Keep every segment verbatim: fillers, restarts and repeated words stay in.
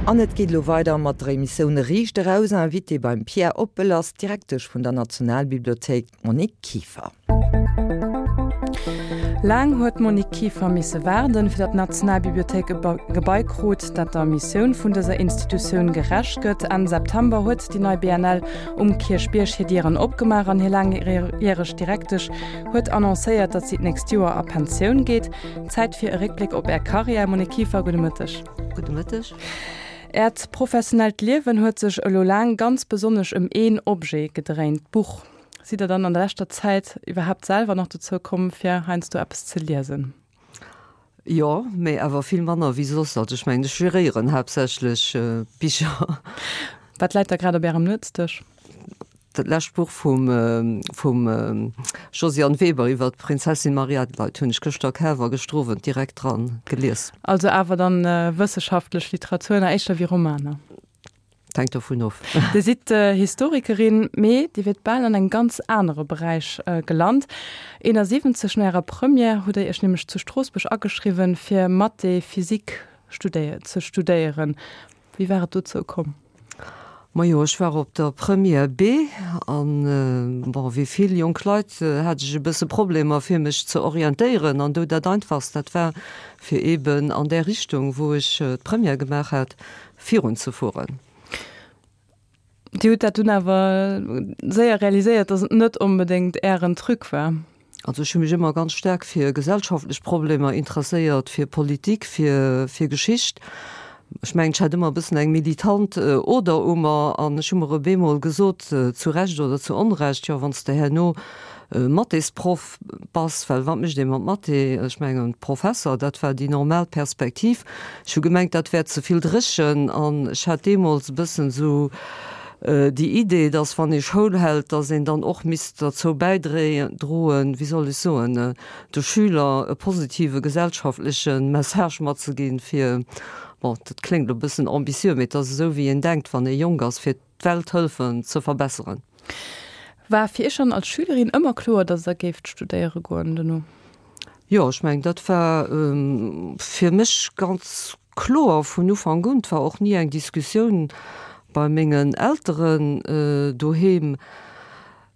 An et geet elo weider mat der Emissioun Riicht eraus. Invitée beim Pierre Oppel ass d'Direktesch vun der Nationalbibliothéik, d'Monique Kieffer. Laang huet d'Monique Kieffer misse waarden, fir datt d'Nationalbibliothéik e Gebai krut, dat der Missioun vun dëser Institutioun gerecht gëtt. Enn September huet déi nei B N L um Kierchbierg hir Dieren opgemaach an hir laangjäreg Direktesch huet annoncéiert, datt si d'nächst Joer a Pensioun geet. Zäit fir e Réckbléck op Är Karriär, Monique Kieffer, gudde Mëtteg. Gudde Mëtteg. Äert professionellt Liewen huet sech elo laang ganz besonnesch ëm een Objet gedréint, d'Buch. Sidd Der dann an der leschter Zäit iwwerhaapt selwer nach dozou komm, fir heiansdo eppes ze liesen? Jo, mee awer vill manner wéi soss. Also ech mengen, ech geréieren haaptsächlech Bicher. Wat läit da grad op Ärem Nuetsdësch? Dat lescht Buch vum vum Josiane Weber iwwer d'Prinzessin Marie-Adelheid hunn ech gëschter kaf a gëschter Owend direkt dran gelies. Also awer dann wëssenschaftlech Literatur, éischter wéi Romaner? Hänkt dovun of. Dir sidd Historikerin, mee Dir wiert bal an engem ganz anere Beräich gelant. eenasiwwenzeg no Ärer Première hutt Der Iech nämlech zu Stroossbuerg ageschriwwen, fir Mathé, Physik ze studéieren. Wéi war et dozou komm? Majo, ech war op der Première B an, bon, wéi vill jonk Leit hat ech e bësse Problemer fir mech ze orientéieren an do dat Einfachst, dat war fir eben an där Richtung, wou ech d'Première gemaach hat, virunzefueren. Dir hutt dat dunn awer séier realiséiert, datt et net onbedéngt Ären Truc war. Also ech hu mech ëmmer ganz staark fir gesellschaftlech Problemer interesséiert, fir Politik, fir fir Geschicht. Ech mengen, ech hat ëmmer e bëssen eng militant Oder u mer an ech hu mer op eemol gesot, zu Recht oder zu Onrecht, jo wann s de herno Mathésproff bass, well wat mécht ee mat Mathé? Ech mengen, Professer, dat war déi normal Perspektiv. Ech hu gemengt, dat wär ze vill dréchen an ech hat deemools e bëssen esou déi Idee, dass wann ee Schoul hält, dass een dann och misst derzou bäidroen, wéi soll ech soen, de Schüler e positive gesellschaftleche Message matzeginn, fir, bon, dat kléngt elo e bëssen ambitieux, mee et ass esou wéi een denkt, wann ee jonk ass, fir d'Welt hëlfen ze verbesseren. War fir Iech schonn als Schülerin ëmmer kloer, dass Der géift studéiere goen dono? Jo, ech mengen, dat war fir mech ganz kloer vun Ufank un. Et war och ni eng Diskussioun bei mengen Elteren doheem.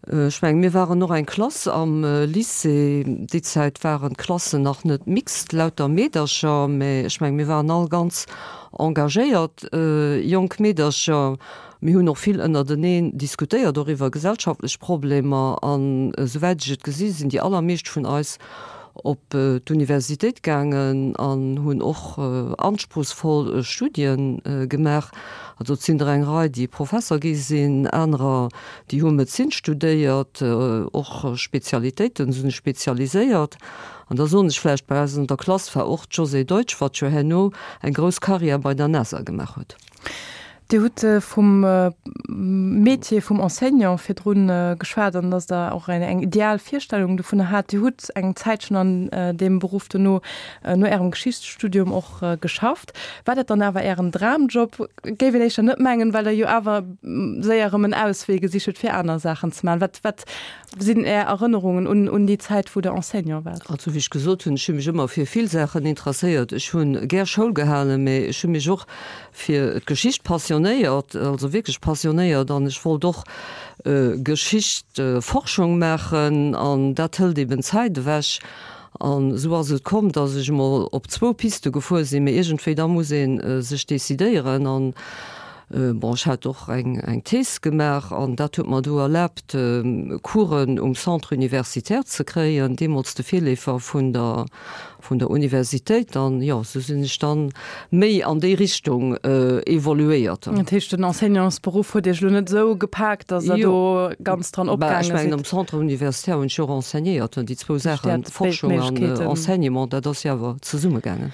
Ech mengen, mir waren och eng Klass am Lycée, déi Zäit waren d'Klassen nach net mixed, lauter Meedercher, mä ech mengen, mir waren all ganz engagéiert jonk Meedercher. Mir hunn och vill ënnerteneen diskutéiert, och iwwer gesellschaftlech Problemer. An esouwäit ech et gesi sinn déi allermeescht vun eis op d'Universitéit gaangen an hunn och anspruchsvoll Studien gemaach. Also et sinn der eng Rei, déi Professer gi sinn, anerer, déi hu Medezin studéiert, och Spezialitéiten, sinn spezialiséiert. An da soen ech vläicht, bei eis an der Klass war och d'Josée Deutsch, wat jo herno eng grouss Karriär bei der NASA gemaach huet. Dir hutt vum Métier vum Enseignant virdrun geschwat an datt Der och eng ideal Virstellung dovunner hat. Dir hutt eng Zäitchen an deem Beruff dono no Ärem Geschichtsstudium och geschafft. War dat dann awer Ären Dramjob? Géif een éischter net mengen, well Der jo awer séier erëm en Auswee gesicht hutt, fir aner Saachen ze maachen. Wat, wat sinn Är Erënnerungen un, un déi Zäit, wou Der Enseignant waart? Also wéi ech gesot hunn, ech hu mech ëmmer fir vill Saachen interesséiert. Ech hu gär Schoul gehalen, mä ech hu mech och fir d'Geschicht passionéiert, also wierklech passionéiert an ech wollt och Geschicht-Forschung maachen an dat hëlt eben Zäit ewech. An esou ass et komm, datt ech emol op zwou Piste gefuer sinn, mee iergendwéi da muss ee sech decidéieren an bon, ech hat och eng eng These gemaach an dat huet mer du erlaabt, Coursen um Centre universitaire ze kréien, deemools de Virleefer vun der vun der Universitéit an jo, esou sinn ech dann méi an déi Richtung evoluéiert. Dat heescht, den Enseignantsberuff huet Iech elo net esou gepaakt, datt Der do ganz dran opgaange sidd? Ech mengen, am Centre universitaire hunn ech jo och enseignéiert, déi zwou Saachen, Forschung an Enseignement, dat ass jo awer zesummegaangen.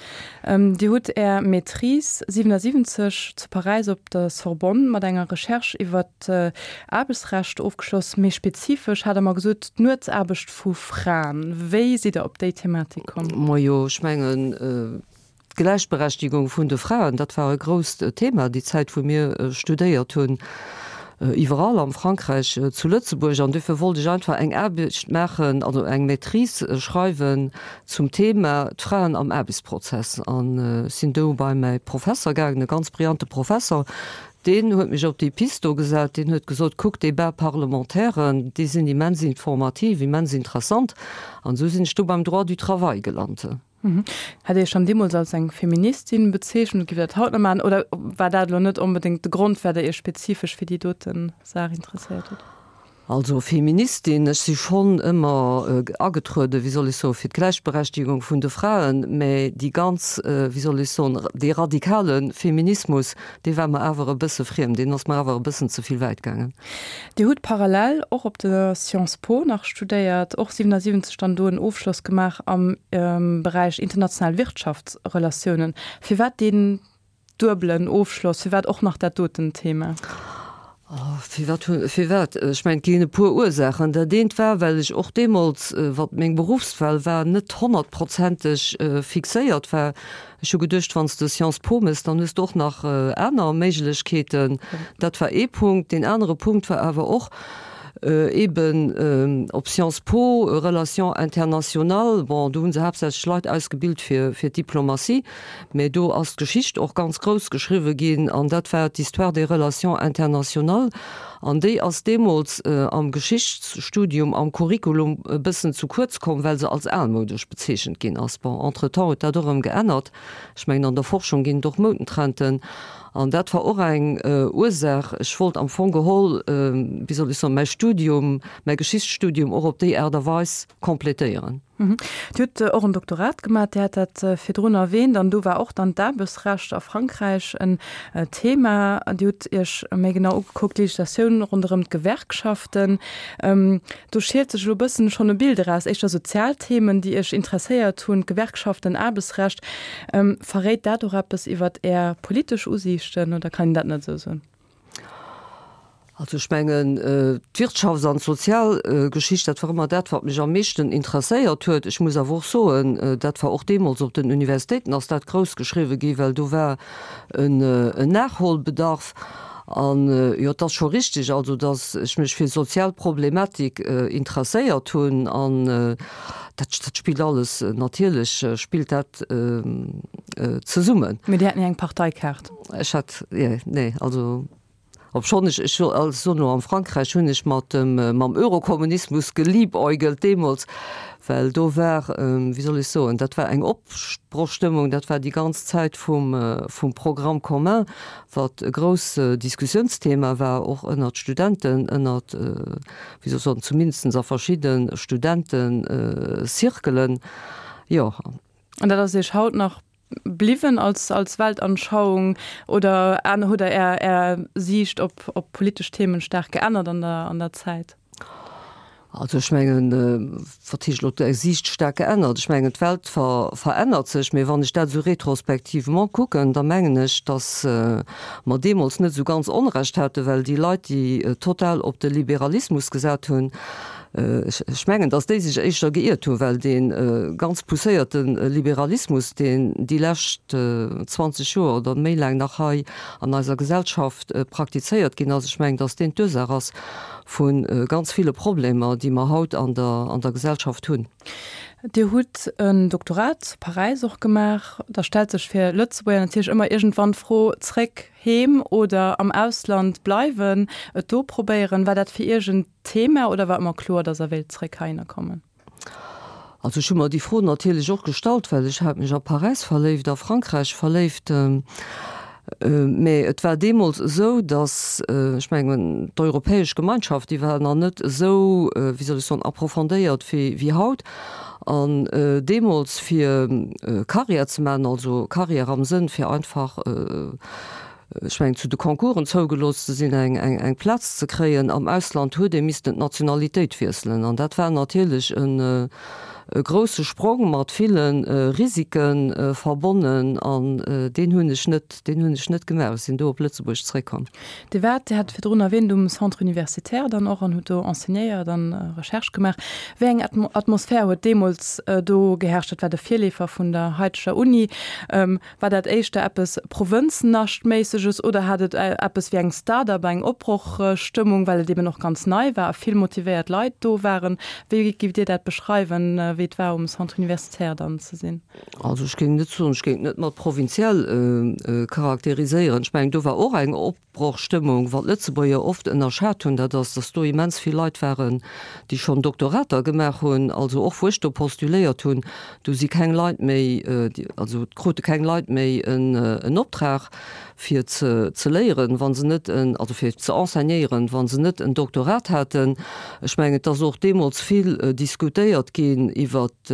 Dir hutt Är Maîtrise siwenasiwwenzeg zu Paräis op der Sorbonne mat enger Recherche iwwer d'Aarbechtsrecht ofgeschloss. Méi spezifesch hat Der mer gesot, d'Nuetsaarbecht vu Fraen. Wéi sidd Der op déi Thematik komm? Majo, ech mengen, d'Gläichberechtigung vun de Fraen, dat war e grousst Thema déi Zäit, wou mir studéiert hunn. iwwerall am Frankräich, zu Lëtzebuerg. An dofir wollt ech einfach eng Aarbecht maachen, also eng Maîtrise schreiwen zum Thema d'Fraen am Aarbechtsprozess. An ech sinn do bei mäi Professer gaangen, e ganz brillante Professer, deen huet mech op déi Pist do gesat, deen huet gesot, kuck d'Débats parlementairen, déi sinn immens informativ, immens interessant. An esou sinn ech do beim Droit du travail gelant. Hätt Dir Iech schonn deemools als eng Feministin bezeechent? Giff Dir dat haut nach maachen? Oder war dat elo net onbedéngt de Grond, well Der Iech spezifesch fir déi dote Saach interesséiert hutt? Also Feministin, ech si schonn ëmmer agetrueden, wéi soll ech soen, fir d'Gläichberechtigung vun de Fraen, mä déi ganz, wéi soll ech soen, dee radikale Feminismus, dee war mer awer e bësse friem, deen ass mer awer e bëssen ze vill wäit gaangen. Dir hutt parallel och op der Sciences Po nach studéiert, och siwenasiwwenzeg dann do en Ofschloss gemaach am Beräich international Wirtschaftsrelatiounen. Firwat deen duebelen Ofschloss? Firwat och nach dat doten Thema? Firwat hunn, firwat? Ech mengen, et ginn e puer Ursaachen. Dat eent war, well ech och deemools, wat meng Beruffswahl war, net honnertprozenteg fixéiert war. Ech hu geduecht, wann s de Sciences Po méchs, dann hues de och nach aner Méiglechkeeten. Dat war ee Punkt. Deen anere Punkt war awer och eeben op Sciences Po, Relations internationales, bon, do hu se haaptsächlech Leit ausgebilt fir fir d'Diplomatie, mä do ass d'Geschicht och ganz grouss geschriwwe ginn an dat war d'Histoire des relations internationales an déi ass deemools am Geschichtsstudium, am Curriculum e bëssen zu kuerz komm, well se als almoudesch bezeechent ginn ass. Bon, entretemps huet dat och erëm geännert. Ech mengen, an der Forschung ginn et och Moudentrenten. An dat war och eng Ursaach. Ech wollt am Fong geholl, wéi soll ech soen, mäi Studium, mäi Geschichtsstudium och op déi Aart a Weis completéieren. Dir hutt och en Doktorat gemaach, Dir hat dat virdrun erwähnt, an do war och dann d'Aarbechtsrecht a Frankräich en Thema. Dir hutt Iech méi genau ugekuckt, d'Legislatioun ronderëm d'Gewerkschaften. Do schielt sech elo e bëssen schonn e Bild eraus, éischter sozial Themen, déi Iech interesséiert hunn, d'Gewerkschaften, Aarbechtsrecht. Verréit dat och eppes iwwert Är politesch Usiichten oder kann een dat net esou soen? Also ech mengen, d'Wirtschafts an d'Sozialgeschicht, dat war ëmmer dat, wat mech am meeschten interesséiert huet. Ech muss awer och soen, dat war och deemools op den Universitéiten ass dat grouss geschriwwe gi, well do war en Nachholbedarf. An jo, et ass scho richtig, also datt ech mech fir sozial Problematik interesséiert hunn an dat, dat spillt alles, natierlech spillt dat zesummen. Mee Dir hat ni eng Parteikaart? Ech hat, nee, also obschonn ech, ech soen elo, am Frankräich hunn ech mat dem, mam Eurokommunismus geliebäugelt deemools, well do war, wéi soll ech soen, dat war eng Opbrochstëmmung, dat war déi ganz Zäit vum, vum Programme commun, wat e grouss Diskussiounsthema war, och ënnert Studenten, ënnert, wéi soll ech soen, zumindest a verschidde Studentecircelen, jo. An dat ass Iech haut nach bliwwen als, als Weltanschauung oder hutt Der Är, Är Siicht op, op politesch Themen staark geännert an der, an der Zäit? Also ech mengen, wat heescht elo eng Siicht staark geännert? Ech mengen, d'Welt verännert sech, mee wann ech dat esou retrospectivement kucken, da mengen ech, datt mer deemools net esou ganz Onrecht haten, well déi Leit, déi total op de Liberalismus gesat hunn, ech mengen, datt déi sech éischter geiert hunn, well dee ganz pousséierte Liberalismus, deen déi lescht zwanzeg Joer oder méi laang nach hei an eiser Gesellschaft praktizéiert ginn ass, ech mengen, datt deen d'Ursaach ass vu ganz ville Problemer, déi mer haut an der, an der Gesellschaft hunn. Dir hutt en Doktorat zu Paräis och gemaach. Da stellt sech fir Lëtzebuerger natierlech ëmmer iergendwann d'Fro, zréck heem oder am Ausland bleiwen, et do probéieren. War dat fir Iech en Thema oder war ëmmer kloer, datt Der wéilt zréck heihinner kommen? Also ech hu mer déi Fro natierlech och gestallt, well ech hat mech a Paräis verléift, a Frankräich verléift. Mä et war deemools esou, datt, ech mengen, d'Europäesch Gemeinschaft, déi war nach net esou, wéi soll ech soen, approfondéiert wéi haut. An deemools fir Carrière ze maachen, also Carrière am Sënn fir einfach, ech mengen, zu de Concoursen zougelooss ze sinn, eng, eng, eng Plaz ze kréien am Ausland, huet ee missten d'Nationalitéit wiesselen. An dat war natierlech en, e grousse Sprong mat ville Risike verbonnen an deen hunn ech net, deen hunn ech net gemaach. Ech sinn do op Lëtzebuerg zréckkomm. Dir waart, Dir hat virdrun erwähnt, um Centre universitaire dann och an hutt do enseignéiert an Recherche gemaach. Wéi eng Atmosphär huet deemools do geherrscht? Dat war de Virleefer vun der haiteger Uni. War dat éischter eppes Provënznaschtméisseges oder hat et eppes wéi eng Start-up, eng Opbrochstëmmung, well et eben och ganz nei war a vill motivéiert Leit do waren? Wéi giff Dir dat beschreiwen, wéi et war um Centre universitaire dann ze sinn? Also ech géing net soen, ech géing et net mat provinziell charakteriséieren. Ech mengen, do war och eng Opbrochstëmmung. Wat d'Lëtzebuerger oft ënnerschat hunn, dat ass, datt do immens vill Leit waren, déi schonn Doktorater gemaach hunn, also och wou ech do postuléiert hunn, do si keng Leit méi, also krute keng Leit méi en Optrag fir ze ze léieren, wa se net en, also fir ze enseignéieren, wa se net en Doktorat haten. Ech mengen, et ass och deemools vill diskutéiert ginn iwwert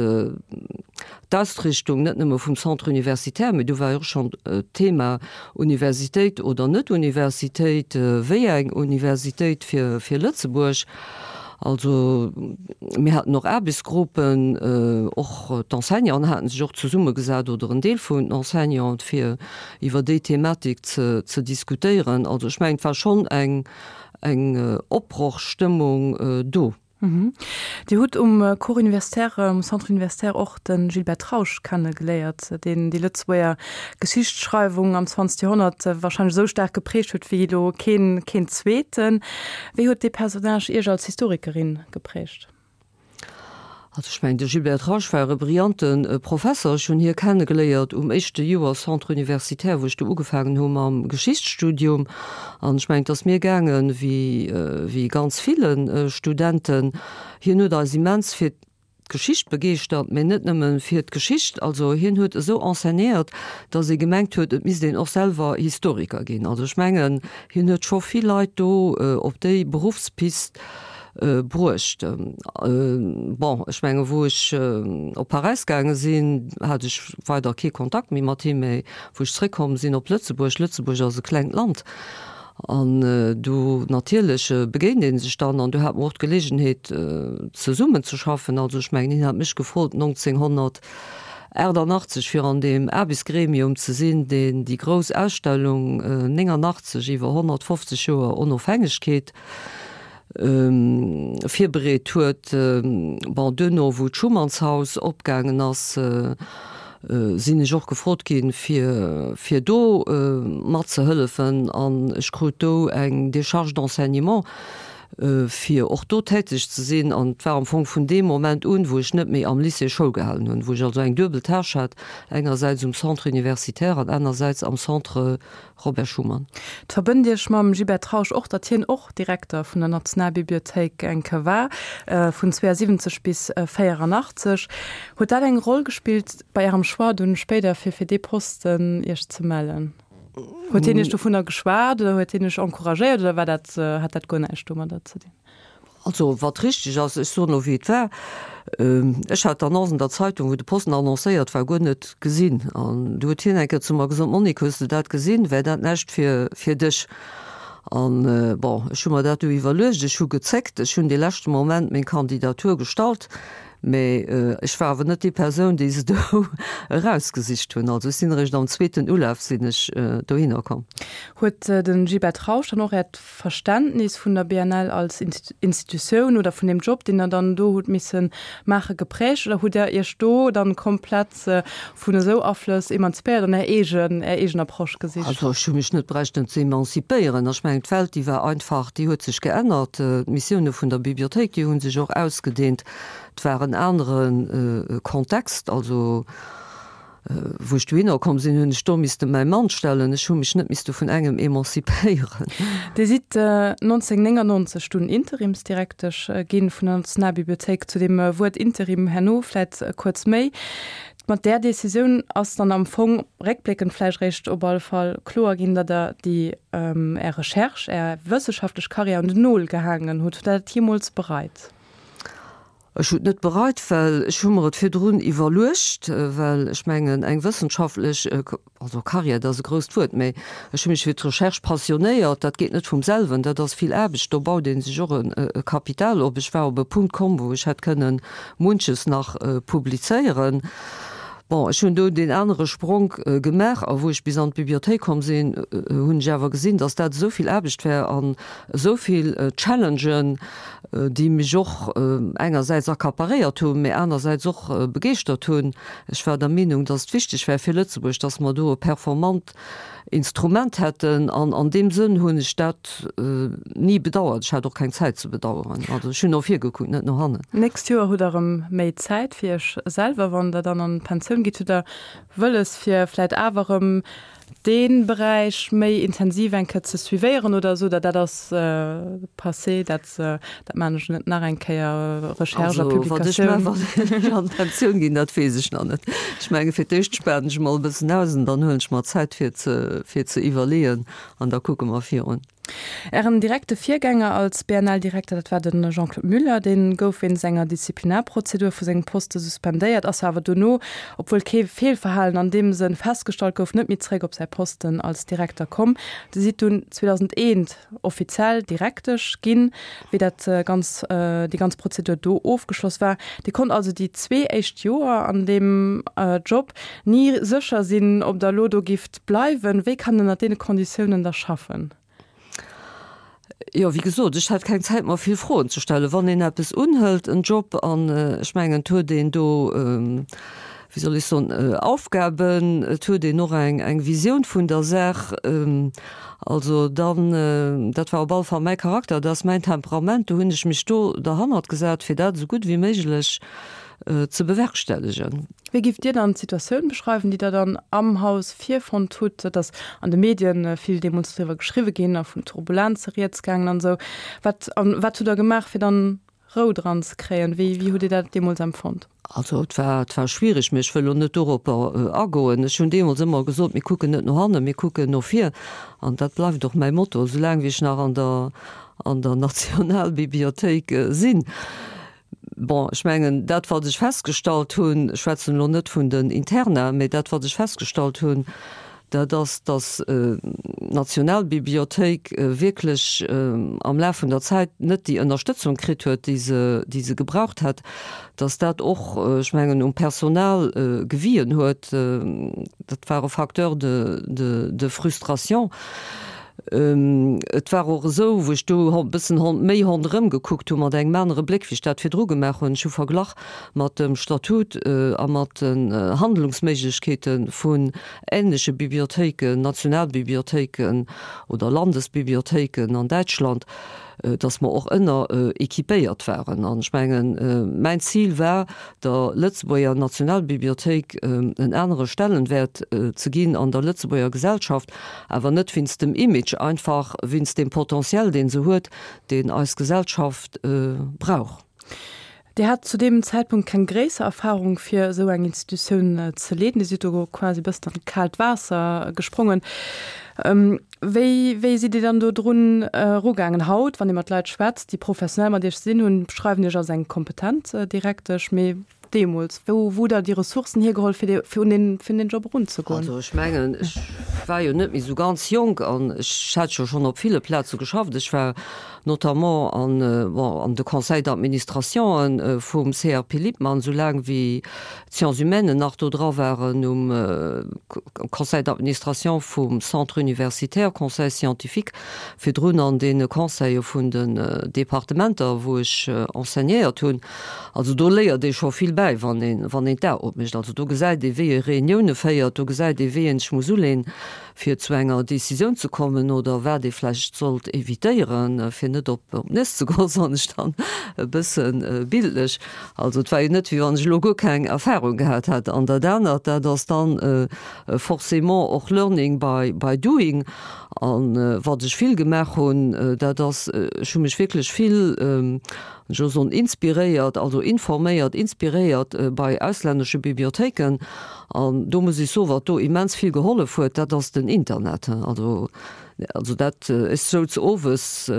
d'Austrichtung net nëmme vum Centre universitaire, mee do war jo och schonn d'Thema Universitéit oder net Universitéit, wéi eng Universitéit fir fir Lëtzebuerg. Also mir haten och Aarbechtsgruppen, och d'Enseignanten haten sech och zesummegesat oder en Deel vun den Enseignanten, fir iwwer déi Thematik ze ze diskutéieren. Also ech mengen, et war schonn eng eng Opbrochstëmmung do. Dir hutt um Cours universitaire, um Centre universitaire och de Gilbert Trausch kenne geléiert, deen déi Lëtzebuerger Geschichtsschreiwung am zwanzegste Joerhonnert warscheinlech esou staark geprägt huet wéi elo keen, keen zweeten. Wéi huet dee Personnage Iech als Historikerin geprägt? Also ech mengen, de Gilbert Trausch war e brillante Professer. Ech hunn hie kenne geléiert um éischte Joer Centre universitaire, wou ech do ugefaangen hu mam Geschichtsstudium. An ech mengen, et ass mir gaange wéi, wéi ganz ville Studenten. Hien huet eis immens fir d'Geschicht begeeschtert, mä net nëmme fir d'Geschicht. Also hien huet esou enseignéiert, datt ee gemengt huet, et misst een och selwer Historiker ginn. Also ech mengen, hien huet scho vill Leit do op déi Beruffspist bruecht. Bon, ech menge wou ech op Paräis gaange sinn, hat ech weider kee Kontakt méi mat him, mä wou ech zréckkomm sinn op Lëtzebuerg, Lëtzebuerg ass e klengt Land, an do natierlech begéint ee sech dann an do hat mer och d'Geleegenheet zesummenzeschaffen. Also ech mengen, hien hat mech gefrot nonzénghonnertaachtannachtzeg fir an deem Aarbechtsgremium ze sinn, deen déi grouss Ausstellung néngannachtzeg iwwer honnertfofzeg Joer Onofhängegkeet virbereet huet. Bon, duerno, wou d'Schumannshaus opgaangen ass, sinn ech och gefrot ginn, fir, fir do matzehëllefen. An ech krut do eng Décharge d'enseignement, fir och do täteg ze sinn. An et war am Fong vun deem Moment un, wou ech net méi am Lycée Schoul gehalen hunn, wou ech also eng duebel Tâche hat, engersäits um Centre universitaire an anersäits am Centre Robert Schuman. Et verbënnt Iech mam Gilbert Trausch och, datt hien och Direkter vun der Nationalbibliothéik eng Kéier war, vun zweeënsiwwenzeg bis véierannachtzeg. Huet dat eng Roll gespillt bei Ärem Choix dunn spéider fir fir dee Posten Iech ze mellen? Huet hien Iech dovunner geschwat oder huet hien Iech encouragéiert oder war dat, hat dat guer näischt domadder ze dinn? Also, wat richteg ass, ech soen elo wéi et war, ech hat d'Annonce an der Zeitung, wou de Posten annoncéiert war, guer net gesinn. An du huet hien eng Kéier zu mer gesot, Monique, hues de dat gesinn, wär dat näischt fir, fir dech? An, bon, ech hu mer dat du iwwerluecht, ech hu gezéckt, ech hunn dee leschte Moment meng Kandidatur gestallt, mä ech war awer net déi Persoun, déi se do erausgesicht hunn. Also ech sinn eréischt am zweeten Ulaf sinn ech dohinner komm. Huet de Gilbert Trausch dann och Äert Verständnis vun der B N L als Institutioun oder vun deem Job, deen Der dann do hutt misse maache geprägt oder hutt Der Iech do dann komplett vun esou Aflëss emanzipéiert an Är eegen, Är eegen Approche gesicht? Also ech hu mech net bräichten ze emanzipéieren. Ech mengen, d'Welt, déi war einfach, déi huet sech geännert. D'Missioune vun der Bibliothéik, déi hu sech och ausgedehnt. Et war en anere Kontext. Also wou ech dohinner komm sinn, hunn ech do misste mäi Mann stellen. Ech hu mech net misste vun engem emanzipéieren. Dir sidd nonzénghonnertnéngannonzeg dunn Interimsdirektesch ginn vun der Nationalbibliothéik. Zu deem Wuert Interim herno vläit kuerz méi. Mat där Decisioun ass dann am Fong, réckbléckend vläicht réischt op alle Fall, kloer ginn, datt Der déi Är Recherche, Är wësseschaftlech Karriär un den Nol gehaangen hutt. Hutt Der dat jeemools bereit? Ech hunn et net bereit, well ech hu mer et virdrun iwwerluecht, well ech mengen eng wëssenschaftlech, also Karriär, dat ass e grousst Wuert, mä ech hu mech fir d'Recherche passionéiert, dat geet net vum selwen, dat ass vill Aarbecht, do baut ee sech och e Kapital op. Ech war op e Punkt komm, wou ech hätt kënnen munches nach publizéieren. Bon, ech hunn do deen anere Spronk gemaach a wou ech bis an d'Bibliothéik komm sinn, hunn ech awer gesinn, dass dat esou vill Aarbecht wär an esou vill Challengen, déi mech och engersäits accaparéiert hunn, mä anersäits och begeeschtert hunn. Ech war der Meenung, dass et wichteg wär fir Lëtzebuerg, dass mer do e performant Instrument hätten an an deem Sënn hunn ech dat ni bedauert. Ech hat och keng Zäit ze bedauern. Also ech hunn no vir gekuckt, net no hannen. D'nächst Joer hutt Der erëm méi Zäit fir Iech selwer, wann Der dann an d'Pensioun gitt. Hutt Der wëlles fir vläit awer erëm dee Beräich méi intensiv eng Kéier ze suivéieren oder sot Der, dat ass passé, dat dat maan ech net nach eng Kéier, Recherche a Publikatioun? Also wat ech maachen, wann ech an d'Pensioun ginn, dat weess ech nach net. Ech menge fir d'éischt spanen ech emol e bëssen aus an dann huelen ech mer Zäit fir ze fir ze iwwerleeën an da kucke mer virun. Ären direkte Virgänger als B N L-Direkter, dat war de Jean-Claude Muller. Dee gouf wéinst enger Disziplinarprozedur vu sengem Poste suspendéiert, ass awer dono, obwuel kee Feelverhalen an deem Sënn festgestallt gouf, net méi zeréck op säi Posten als Direkter komm. Dir sidd dunn zweedausendeent offiziell Direktesch ginn, wéi dat ganz, déi ganz Prozedur do ofgeschloss war. Dir konnt also déi zwee éischt Joer an deem Job ni sécher sinn, ob Der elo do gifft bleiwen. Wéi kann een ënner deene Konditiounen da schaffen? Jo, wéi gesot, ech hat keng Zäit mer vill Froen ze stellen. Wann een eppes unhëlt, en Job, an ech mengen, et huet een do, wéi soll ech soen, Aufgaben, et huet een och eng, eng Visioun vun der Saach, also dann, dat war op alle Fall mäi Charakter, dat ass mäin Temperament, do hunn ech mech do derhannert gesat, fir dat esou gutt wéi méiglech ze bewerkstelligen. Wéi gift Dir dann d'Situatioun beschreiwen, déi Der dann am Haus virfonnt hutt? Et ass an de Medien vill deemools driwwer geschriwwe ginn a vun Turbulenze rieds gaangen an esou. Wat, an wat hutt Der gemaach, fir dann Rou dran ze kréien? Wéi, wéi hutt Dir dat deemools empfonnt? Also et war, et war schwierig, mee ech wëll elo net doropper agoen. Ech hunn deemools ëmmer gesot, mir kucken net no hannen, mir kucken no vir. An dat bleift och mäi Motto, soulaang wéi ech nach an der, an der Nationalbibliothéik sinn. Bon, ech mengen, dat, wat ech festgestallt hunn, ech schwätzen elo net vun den Interna, mä dat, wat ech festgestallt hunn, dat ass, datt d'Nationalbibliothéik wierklech am Laf vun der Zäit net déi Ënnerstëtzung kritt huet, déi se, déi se gebraucht hätt, datt dat och, ech mengen, um Personal gewien huet. Dat war e Facteur de, de, de frustration. Et war och esou, wou ech do e bëssen méi ronderëm gekuckt hu mat engem anere Bléck, wéi ech dat virdru gemaach hunn. Ech hu verglach mat dem Statut a mat den Handlungsméiglechkeete vun änleche Bibliothéiken, Nationalbibliothéiken oder Landesbibliothéiken an Däitschland, dass mer och ënner-équipéiert waren. An ech mengen, mäin Zil war, der Lëtzebuerger Nationalbibliothéik en anere Stellenwäert ze ginn an der Lëtzebuerger Gesellschaft, awer net wéinst dem Image, einfach wéinst deem Potentiel, dee se huet, deen eis Gesellschaft brauch. Dir hat zu deem Zäitpunkt keng gréisser Erfahrung, fir esou eng Institutioun ze leeden. Dir sidd do quasi e bëssen an d'kaalt Waasser gesprongen. Wéi, wéi sidd Dir dann do drun erugaangen? Haut, wann Dir mat Leit schwätzt, déi professionell mat Iech ze dinn hunn, beschreiwen Iech als eng kompetent Direktesch. Mee deemools, wou wou hutt Der déi Ressourcen hiergeholl, fir dee, fir un deen, fir un deen Job erunzegoen? Also ech mengen, ech war jo net méi esou ganz jonk an ech hat jo schonn op ville Plaze geschafft. Ech war notamment an, bon, an de Conseil d'administrationen vum C R P Lippmann, soulaang wéi d'Sciences humaines nach do dra waren, um Conseil d'administration vum Centre universitaire, Conseil scientifique, virdrun an deene Conseile vun den Departementer, wou ech enseignéiert hunn. Also do léiert ee scho vill bäi, wann een, wann een d'A opmécht. Also do gesäit ee, wéi ee Reunioune féiert, do gesäit ee, wéi een sech muss uleen, fir zu enger Décisioun ze kommen oder wat ee vläicht sollt évitéieren, fir net op d'Niess ze goen, soen ech dann e bësse bildlech. Also et war jo net, wéi wann ech elo guer keng Erfahrung gehat hätt. An dat anert, dat ass dann forcément och learning by, by doing. An wat ech vill gemaach hunn, dat ass, ech hu mech wierklech vill, ech wëll soen inspiréiert, also informéiert, inspiréiert bei auslännesche Bibliothéiken. An do muss ech soen, wat do immens vill gehollef huet, dat ass den Internet. Also Also dat, ech souz owes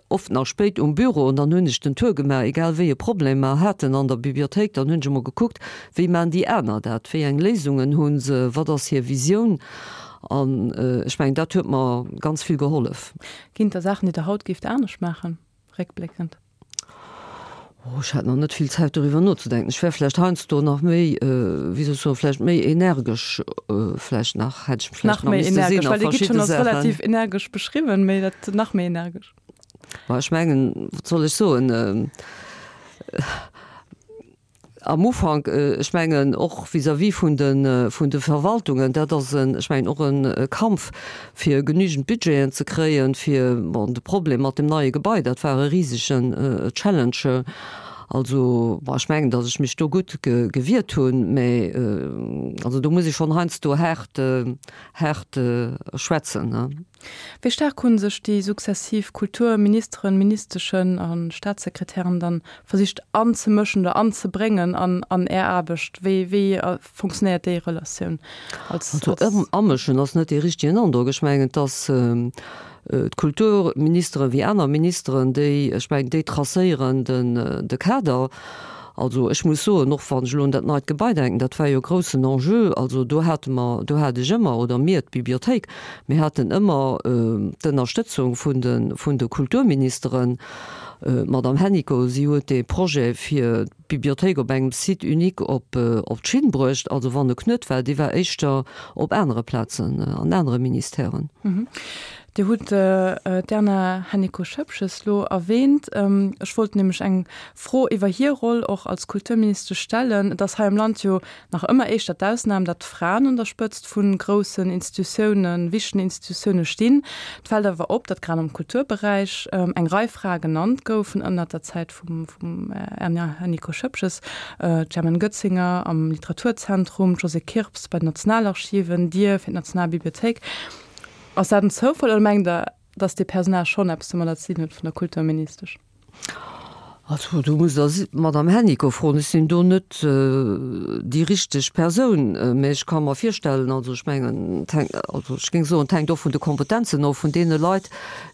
oft nach spéit um Büro an dann hunn ech den Tour gemaach, egal wéi e Problem mer haten an der Bibliothéik, dann hunn ech emol gekuckt, wéi maachen déi aner dat, wéi eng Léisungen hu se, wat ass hir Visioun. An ech mengen, dat huet mer ganz vill gehollef. Ginn et da Saachen, déi Der haut géift anescht maachen, réckbléckend? Oh, ech hat nach net vill Zäit doriwwer nozedenken. Ech wär vläicht heiansdo nach méi, wéi soll ech soen, vläicht méi energesch vläicht nach, hätt ech vläicht nach méi misste sinn a verschidde Saachen. Relativ energesch beschriwwen, mee dat nach méi energesch. Ma ech mengen, wat soll ech soen, Am Ufank, ech mengen och vis-à-vis vun de, vun de Verwaltungen, dat ass en, ech mengen och e Kampf, fir genügend Budgeten ze kréien, fir, bon, de Problem mat dem neie Gebai, dat war e risegen Challenge. Also, bon, ech mengen, datt ech mech do gutt gewiert hunn, mä also do muss ee schonn heiansdo haart, haart schwätzen. Wéi staark hu sech déi successiv Kulturministeren, Ministeschen a Staatssekretären dann versicht anzemëschen oder anzebréngen an an Är Aarbecht? Wéi wéi funktionéiert déi Relatioun als Also amëschen ass net dee richtegen Androck. Ech mengen, et ass d'Kulturministeren wéi aner Ministeren, déi, ech mengen, déi tracéieren den de Kader. Also ech muss soen, och wann ech elo un dat neit Gebai denken, dat war jo e groussen Enjeu, also do hate mer, do hat ech ëmmer, oder mir, d'Bibliothéik, mir haten ëmmer d'Ënnerstëtzung vun de, vun de Kulturministeren. D'Madame Hennicot, si huet dee Projet fir d'Bibliothéik op engem Site unique op, op d'Schinn bruecht. Also wann e Knuet war, dee war éischter op anere Plazen, an anere Ministèren. Dir hutt d'Erna Hennicot-Schoepges lo erwähnt. Ech wollt nämlech eng Fro iwwer hir Roll och als Kulturministesch stellen. Et ass hei am Land jo nach ëmmer éischter d'Ausnam, datt Fraen un der Spëtzt vu groussen Institutiounen, wichtegen Institutioune stinn. Et fält awer op, datt grad am Kulturberäich eng Rei Frae genannt goufen ënnert der Zäit vum Erna Hennicot-Schoepges, d'Germaine Goetzinger am Literaturzentrum, d'Josée Kirps bei den Nationalarchiven, Dir fir d'Nationalbibliothéik. Ass dat en Zoufall oder mengt Der, datt dee Personnage schonn eppes domadder ze dinn huet vun der Kulturministesch? Also do musst Der d'Madame Hennicot froen. Ech sinn do net déi richteg Persoun, mä ech ka mer virstellen, also ech mengen, et hänkt, also ech géing soen, et hänkt och vun de Kompetenzen of vun deene Leit,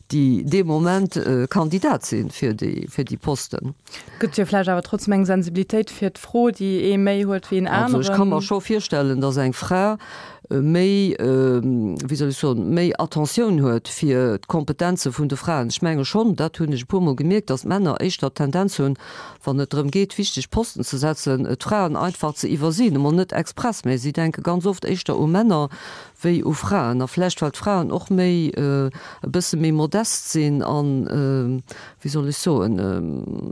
déi dee Moment Kandidat si fir déi, fir déi Posten. Gëtt jo vläicht awer trotzdem eng Sensibilitéit fir d'Fro, déi ee méi huet wéi en Also ech ka aneren. mer scho virstellen, datt eng Fra méi, wéi soll ech soen, méi Attentioun huet fir d'Kompetenze vun de Fraen. Ech menge schonn, dat hunn ech e puermol gemierkt, datt d'Männer éischter d'Tendenz hunn, wann et drëm geet, wichteg Posten ze setzen, d'Fraen einfach ze iwwersinn, emol net express, mä si denke ganz oft éischter u Männer wéi u Fraen. A vläicht well d'Fraen och méi, e bësse méi modest sinn an, wéi soll ech soen,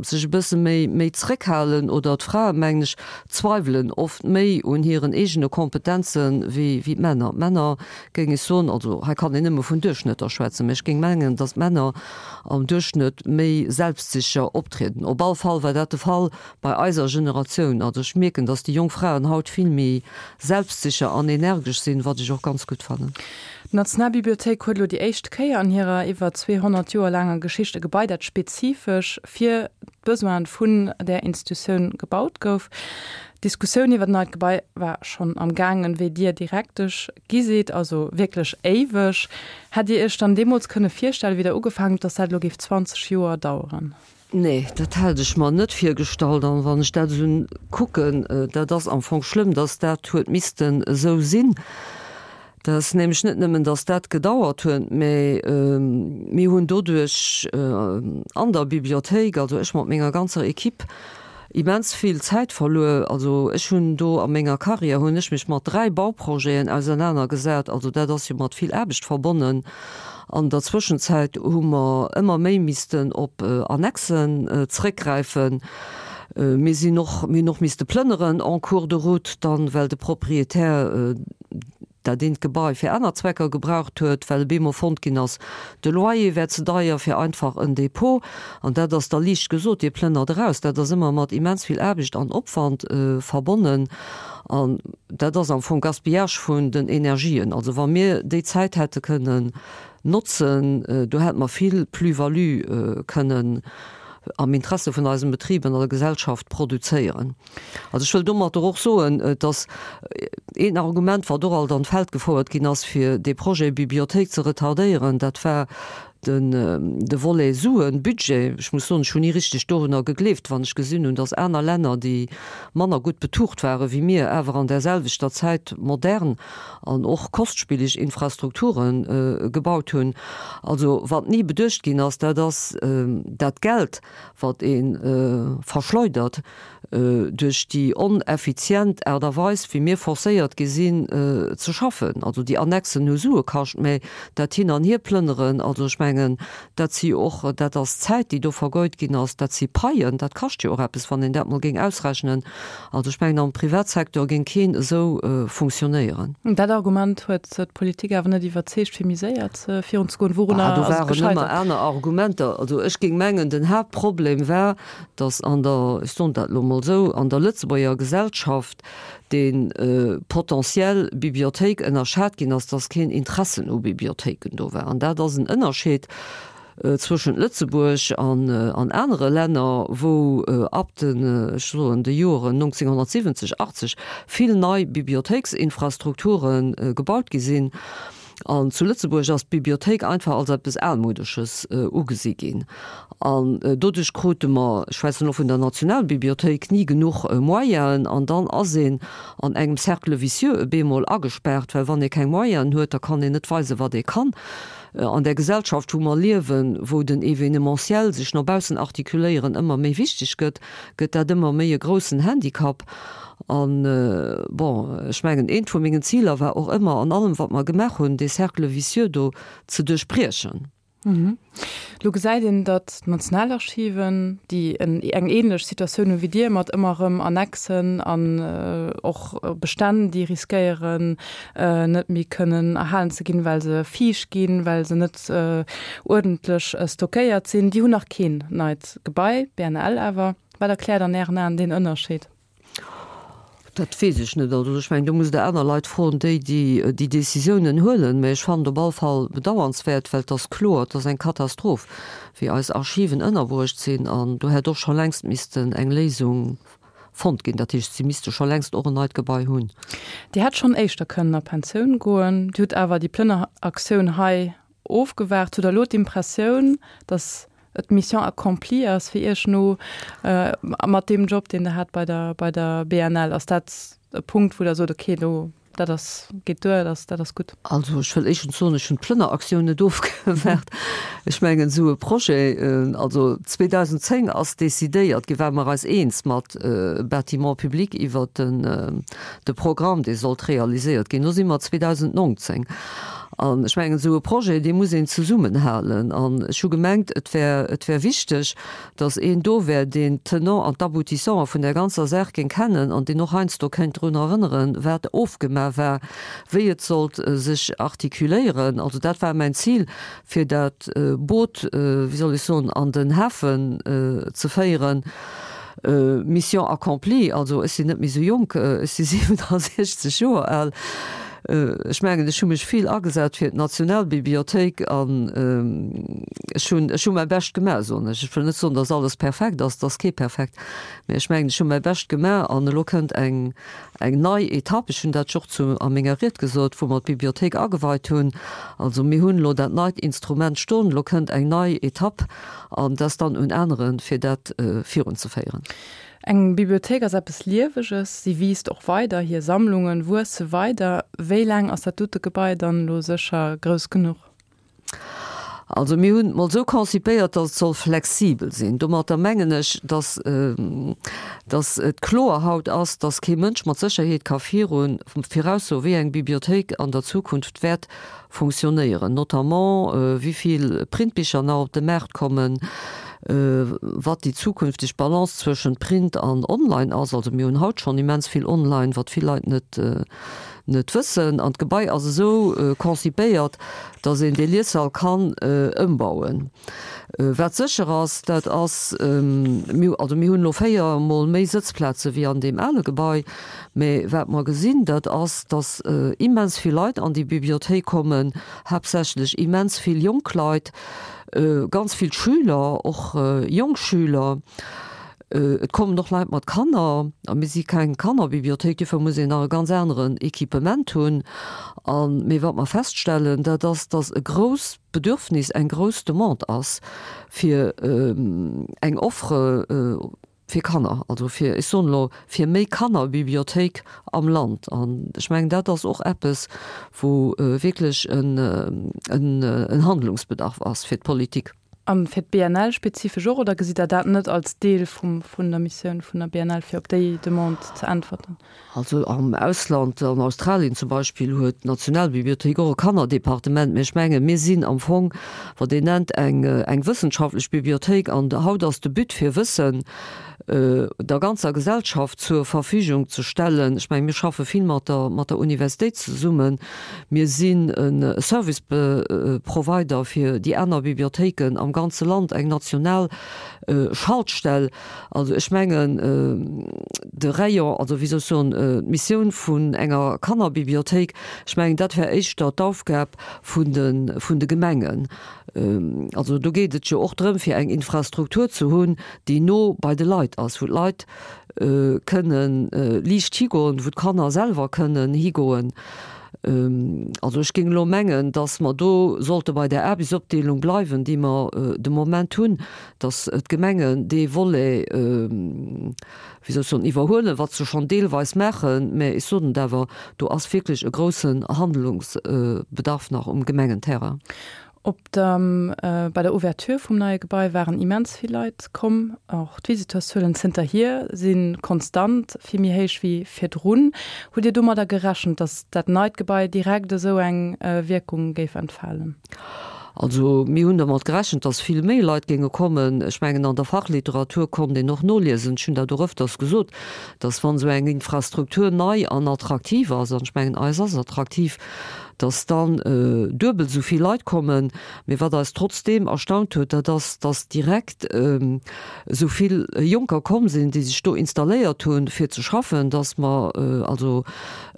sech e bësse méi, méi zréckhalen oder d'Frae, mengen ech, zweiwelen oft méi un hiren eegene Kompetenze wéi, wéi d'Männer. D'Männer, géing ech soen, also hei kann een nëmme vun Duerchschnëtter schwätzen, mä ech géing mengen, datt d'Männer am Duerchschnëtt méi selbstsicher optrieden. Op all Fall war dat de Fall bei eiser Generatioun. Also ech mierken, datt déi jonk Fraen haut vill méi selbstsicher an energesch sinn, wat ech och ganz gutt fannen. D'Nationalbibliothéik huet elo déi éischt Kéier an hirer iwwer zweehonnert Joer laanger Geschicht e Gebai, dat spezifesch fir d'Besoine vun där Institutioun gebaut gouf. D'Diskussioun iwwer d'neit Gebai war schonn am gaangen, wéi Dir Direktesch gi sidd, also wierklech éiweg. Hätt Dir Iech dann deemools kënne virstellen, wéi Der ugefaangen hutt, datt dat elo géif zwanzeg Joer daueren? Nee, dat hat ech mer net virgestallt. An wann ech dat esou kucken, dat ass am Fong schlëmm, datt dat huet missten esou sinn. Dat ass nämlech net nëmmen, datt dat gedauert huet, mä mir hunn doduerch an der Bibliothéik, also ech mat menger ganzer Equipe, immens vill Zäit verluer. Also ech hunn do a menger Karriär hunn ech mech mat dräi Bauprojeten ausernanergesat. Also dat ass jo mat vill Aarbecht verbonnen. An der Zwëschenzäit hu mer ëmmer méi missten op Annexen zréckgräifen. Mir sinn och, mir hunn och misste plënneren en cours de route dann, well de Propriétaire dat eent Gebai fir aner Zwecker gebraucht huet, well op eemol fonnt ginn ass, de Loyer wär ze deier fir einfach en Depot. An dat ass da liicht gesot, Dir plënnert eraus. Dat ass ëmmer mat immens vill Aarbecht an Opwand verbonnen. An dat ass am Fong Gaspillage vun den Energien. Also wa mir déi Zäit hätte kënnen notzen, do hätte mer vill Plus-value kënnen am Interesse vun eisem Betrib an der Gesellschaft produzéieren. Also ech wëll domatter och soen, dass Een Argument, wat och alt an d'Feld gefouert ginn ass, fir dee Projet Bibliothéik ze retardéieren, dat war den de Volet Suen, Budget. Ech muss soen, ech hunn ni richteg dorunner gegleeft, wann ech gesinn hunn, datt aner Länner, déi manner gutt betucht ware wéi mir, awer an där selwechter Zäit modern an och kostspillig Infrastrukture gebaut hunn. Also wat ni beduecht ginn ass, dat ass dat Geld, wat ee verschleudert duerch déi oneffizient Aart a Weis, wéi mir forcéiert gi sinn ze schaffen. Also déi Annexen hu Sue kascht, mä dat Hin an Hierplënneren, also ech mengen, dat si och, dat ass Zäit, déi do vergeut ginn ass, dat si Paien, dat kascht jo och eppes, wann een dat mol géing ausrechnen. Also ech mengen, am Privatsecteur géing keen esou funktionéieren. Dat Argument huet d'Politik awer net iwwerzeegt, fir méi séier virunzegoen. Wourunner ass et gescheitert? Do waren ëmmer aner Argumenter. Also ech géing mengen, den Haaptproblem war, datt an der, ech soen dat elo mol esou, an der Lëtzebuerger Gesellschaft de Potentiel Bibliothéik ënnerschat ginn ass, datt keen Interessen u Bibliothéiken do war. An dat ass en Ënnerscheed zwëschent Lëtzebuerg an an anere Länner, wou ab den, ech soen, de Joren nonzénghonnertsiwwenzeg, achtzeg vill nei Bibliothéiksinfrastrukture gebaut gi sinn. An zu Lëtzebuerg ass d'Bibliothéik einfach als eppes Almoudesches ugesi ginn. An doduerch krute mer, ech schwätzen elo vun der Nationalbibliothéik, ni genuch Moyenen. An dann ass een an engem Cercle vicieux e bemol agespaart, well wann ee keng Moyenen huet, da kann een net weisen, wat ee kann. An där Gesellschaft, wou mer liewen, wou den Evenementiel, sech no baussen artikuléieren, ëmmer méi wichteg gëtt, gëtt dat ëmmer méi e groussen Handicap. An, bon, ech mengen, eent vu mengen Ziler war och ëmmer an allem, wat mer gemaach hunn, dee Cercle vicieux do ze duerchbriechen. Elo gesäit een, datt d'Nationalarchiven, déi eng ähnlech Situatioun hu wéi Dir, mat ëmmer erëm Annexen an och Bestänn, déi riskéieren, net méi kënnen erhalen ze ginn, well se fiicht ginn, well se net uerdentlech stockéiert sinn, déi hunn nach keen neit Gebai, B N L awer. Wat erkläert an Ären Aen deen Ënnerscheed? Dat weess ech net. Also ech mengen, do musst Der aner Leit froen, déi déi déi Décisiounen huelen. Mä ech fannen et op all Fall bedauernswäert, well et ass kloer, et ass eng Katastroph, wéi eis Archiven ënnerbruecht sinn. An do hätt och scho längst missten eng Léisung fonnt ginn. Dat heescht, si misste scho längst och en neit Gebai hunn. Dir hätt schonn éischter kënnen a Pensioun goen. Dir hutt awer déi Plënneraktioun hei ofgewaart. Hutt Der elo d'Impressioun, datt et Mission accomplie ass fir Iech no mat deem Job, deen Der hat bei der bei der B N L? Ass dat e Punkt, wou Der sot, okay, do dat ass geet duer, dat dat ass gutt? Also ech wëll éischtens soen, ech hunn d'Plënneraktioun net ofgewaart. Ech mengen esou e Projet, also zweedausendzéng ass decidéiert gi, ware mer eis eens mat Bâtiments publics iwwert den de Programm, dee sollt realiséiert ginn. Elo si mer zweedausendnongzéng. An ech mengen, esou e Projet, dee muss een zesummenhalen. An ech hu gemengt, et wär, et wär wichteg, datt een do wär, deen d'Tenants an d'Aboutissanten vun där ganzer Saach géing kennen an deen och heiansdo kéint drun erënneren, wat ofgemaach war, wéi et sollt sech artikuléieren. Also dat war mäin Zil, fir dat Boot, wéi soll ech soen, an den Hafen ze féieren. Mission accomplie, also ech sinn net méi esou jonk, ech si siwenasiechzeg Joer al. Ech mengen, ech hu mech vill agesat fir d'Nationalbibliothéik an ech hunn, ech hu mäi Bescht gemaach, soen ech. Ech wëll net soen, datt alles perfekt ass, et ass kee perfekt, mä ech mengen, ech hu mäi Bescht gemaach an elo kënnt eng, eng nei Etapp. Ech hunn dat jo och zu, a menger Ried gesot, wou mer d'Bibliothéik ageweit hunn. Also mir hunn elo dat neit Instrument stoen, elo kënnt eng nei Etapp an et ass dann un aneren, fir dat virunzeféieren. Eng Bibliothéik ass eppes Lieweges, si wiisst och weider, hir Sammlungen wuesse weider. Wéi laang ass dat dote Gebai dann elo sécher grouss genuch? Also mir hunn et mol esou konzipéiert, datt et soll flexibel sinn. Domatter mengen ech, datt, datt et kloer haut ass, datt kee Mënsch mat Sécherheet ka virun, viraussoen, wéi eng Bibliothéik an der Zukunft wäert funktionéieren, notamment wéi vill Printbicher nach op de Maart kommen, wat déi zukünfteg Balance zwëschent Print an Online ass. Also mir hunn haut schonn immens vill Online, wat vill Leit net net wëssen. An d'Gebai ass esou konzipéiert, datt een dee Liessall kann ëmbauen. Wat sécher ass, dat ass, mir, also mir hunn elo véier mol méi Sëtzplaze wéi an deem ale Gebai, mä wat mer gesinn, dat ass, datt immens vill Leit an déi Bibliothéik kommen, haaptsächlech immens vill jonk Leit, ganz vill Schüler, och jonk Schüler. Et kommen och Leit mat Kanner, a mir si keng Kannerbibliothéik, duerfir muss een nach e ganz aneren Equipement hunn. A mee wat mer feststellen, dat ass, dass e grousst Bedürfnis, eng grouss Demande ass fir eng Offre fir Kanner, also fir, ech soen elo, fir méi Kannerbibliothéik am Land. An ech mengen, dat ass och eppes, wou wierklech en Handlungsbedarf ass fir d'Politik. A fir d'BNL spezifesch och, oder gesitt Der dat net als Deel vum, vun der Missioun vun der BNL, fir op déi Demande ze äntwerten? Also am Ausland, an Australien zum Beispill, huet d'Nationalbibliothéik och e Kannerdepartement. Mä ech menge mir sinn am Fong, wat een nennt, eng, eng wëssenschaftlech Bibliothéik. An haut ass de But fir Wëssen der ganzer Gesellschaft zur Verfügung ze stellen. Ech menge mir schaffe vill mat der, mat der Universitéit zesummen. Mir sinn e Service Provider fir déi aner Bibliothéiken am ganze Land, eng national Schaltstell. Also ech mengen de Rayon, also wéi soll ech soen, d'Missioun vun enger Kannerbibliothéik, ech mengen dat wär éischter d'Aufgab vun de, vun de Gemengen. Also do geet et jo och drëm fir eng Infrastruktur ze hunn, déi no bei de Leit ass, wou d'Leit kënnen liicht higoen, wou d'Kanner selwer kënnen higoen. Also ech géing elo mengen, datt mer do sollte bei där Aarbechtsopdeelung bleiwen, déi mer de Moment hunn, datt d'Gemengen dee Volet, wéi soll ech soen, iwwerhuelen, wat se schonn deelweis maachen. Mä ech soen et awer, do ass wierklech e groussen Handlungsbedarf nach um Gemengenterrain. Op der, bei der Ouverture vum neie Gebai waren immens vill Leit komm. Och d'Visiteurszuelen zënterhier si konstant vill méi héich wéi virdrun. Hutt Dir domadder gerechent, datt dat neit Gebai direkt esou eng Wierkung géif entfalen? Also mir hunn domat gerechent, datt vill méi Leit géinge kommen. Ech mengen, an der Fachliteratur konnt een och noliesen, ech hunn dat och ëfters gesot, datt wann esou eng Infrastruktur nei an attraktiv ass, an ech mengen eis ass attraktiv, dass dann duebel esou vill Leit kommen. Mee wat eis trotzdeem erstaunt huet, dat ass, dass direkt esou vill Jonker komm sinn, déi sech do installéiert hunn, fir ze schaffen, dass mer also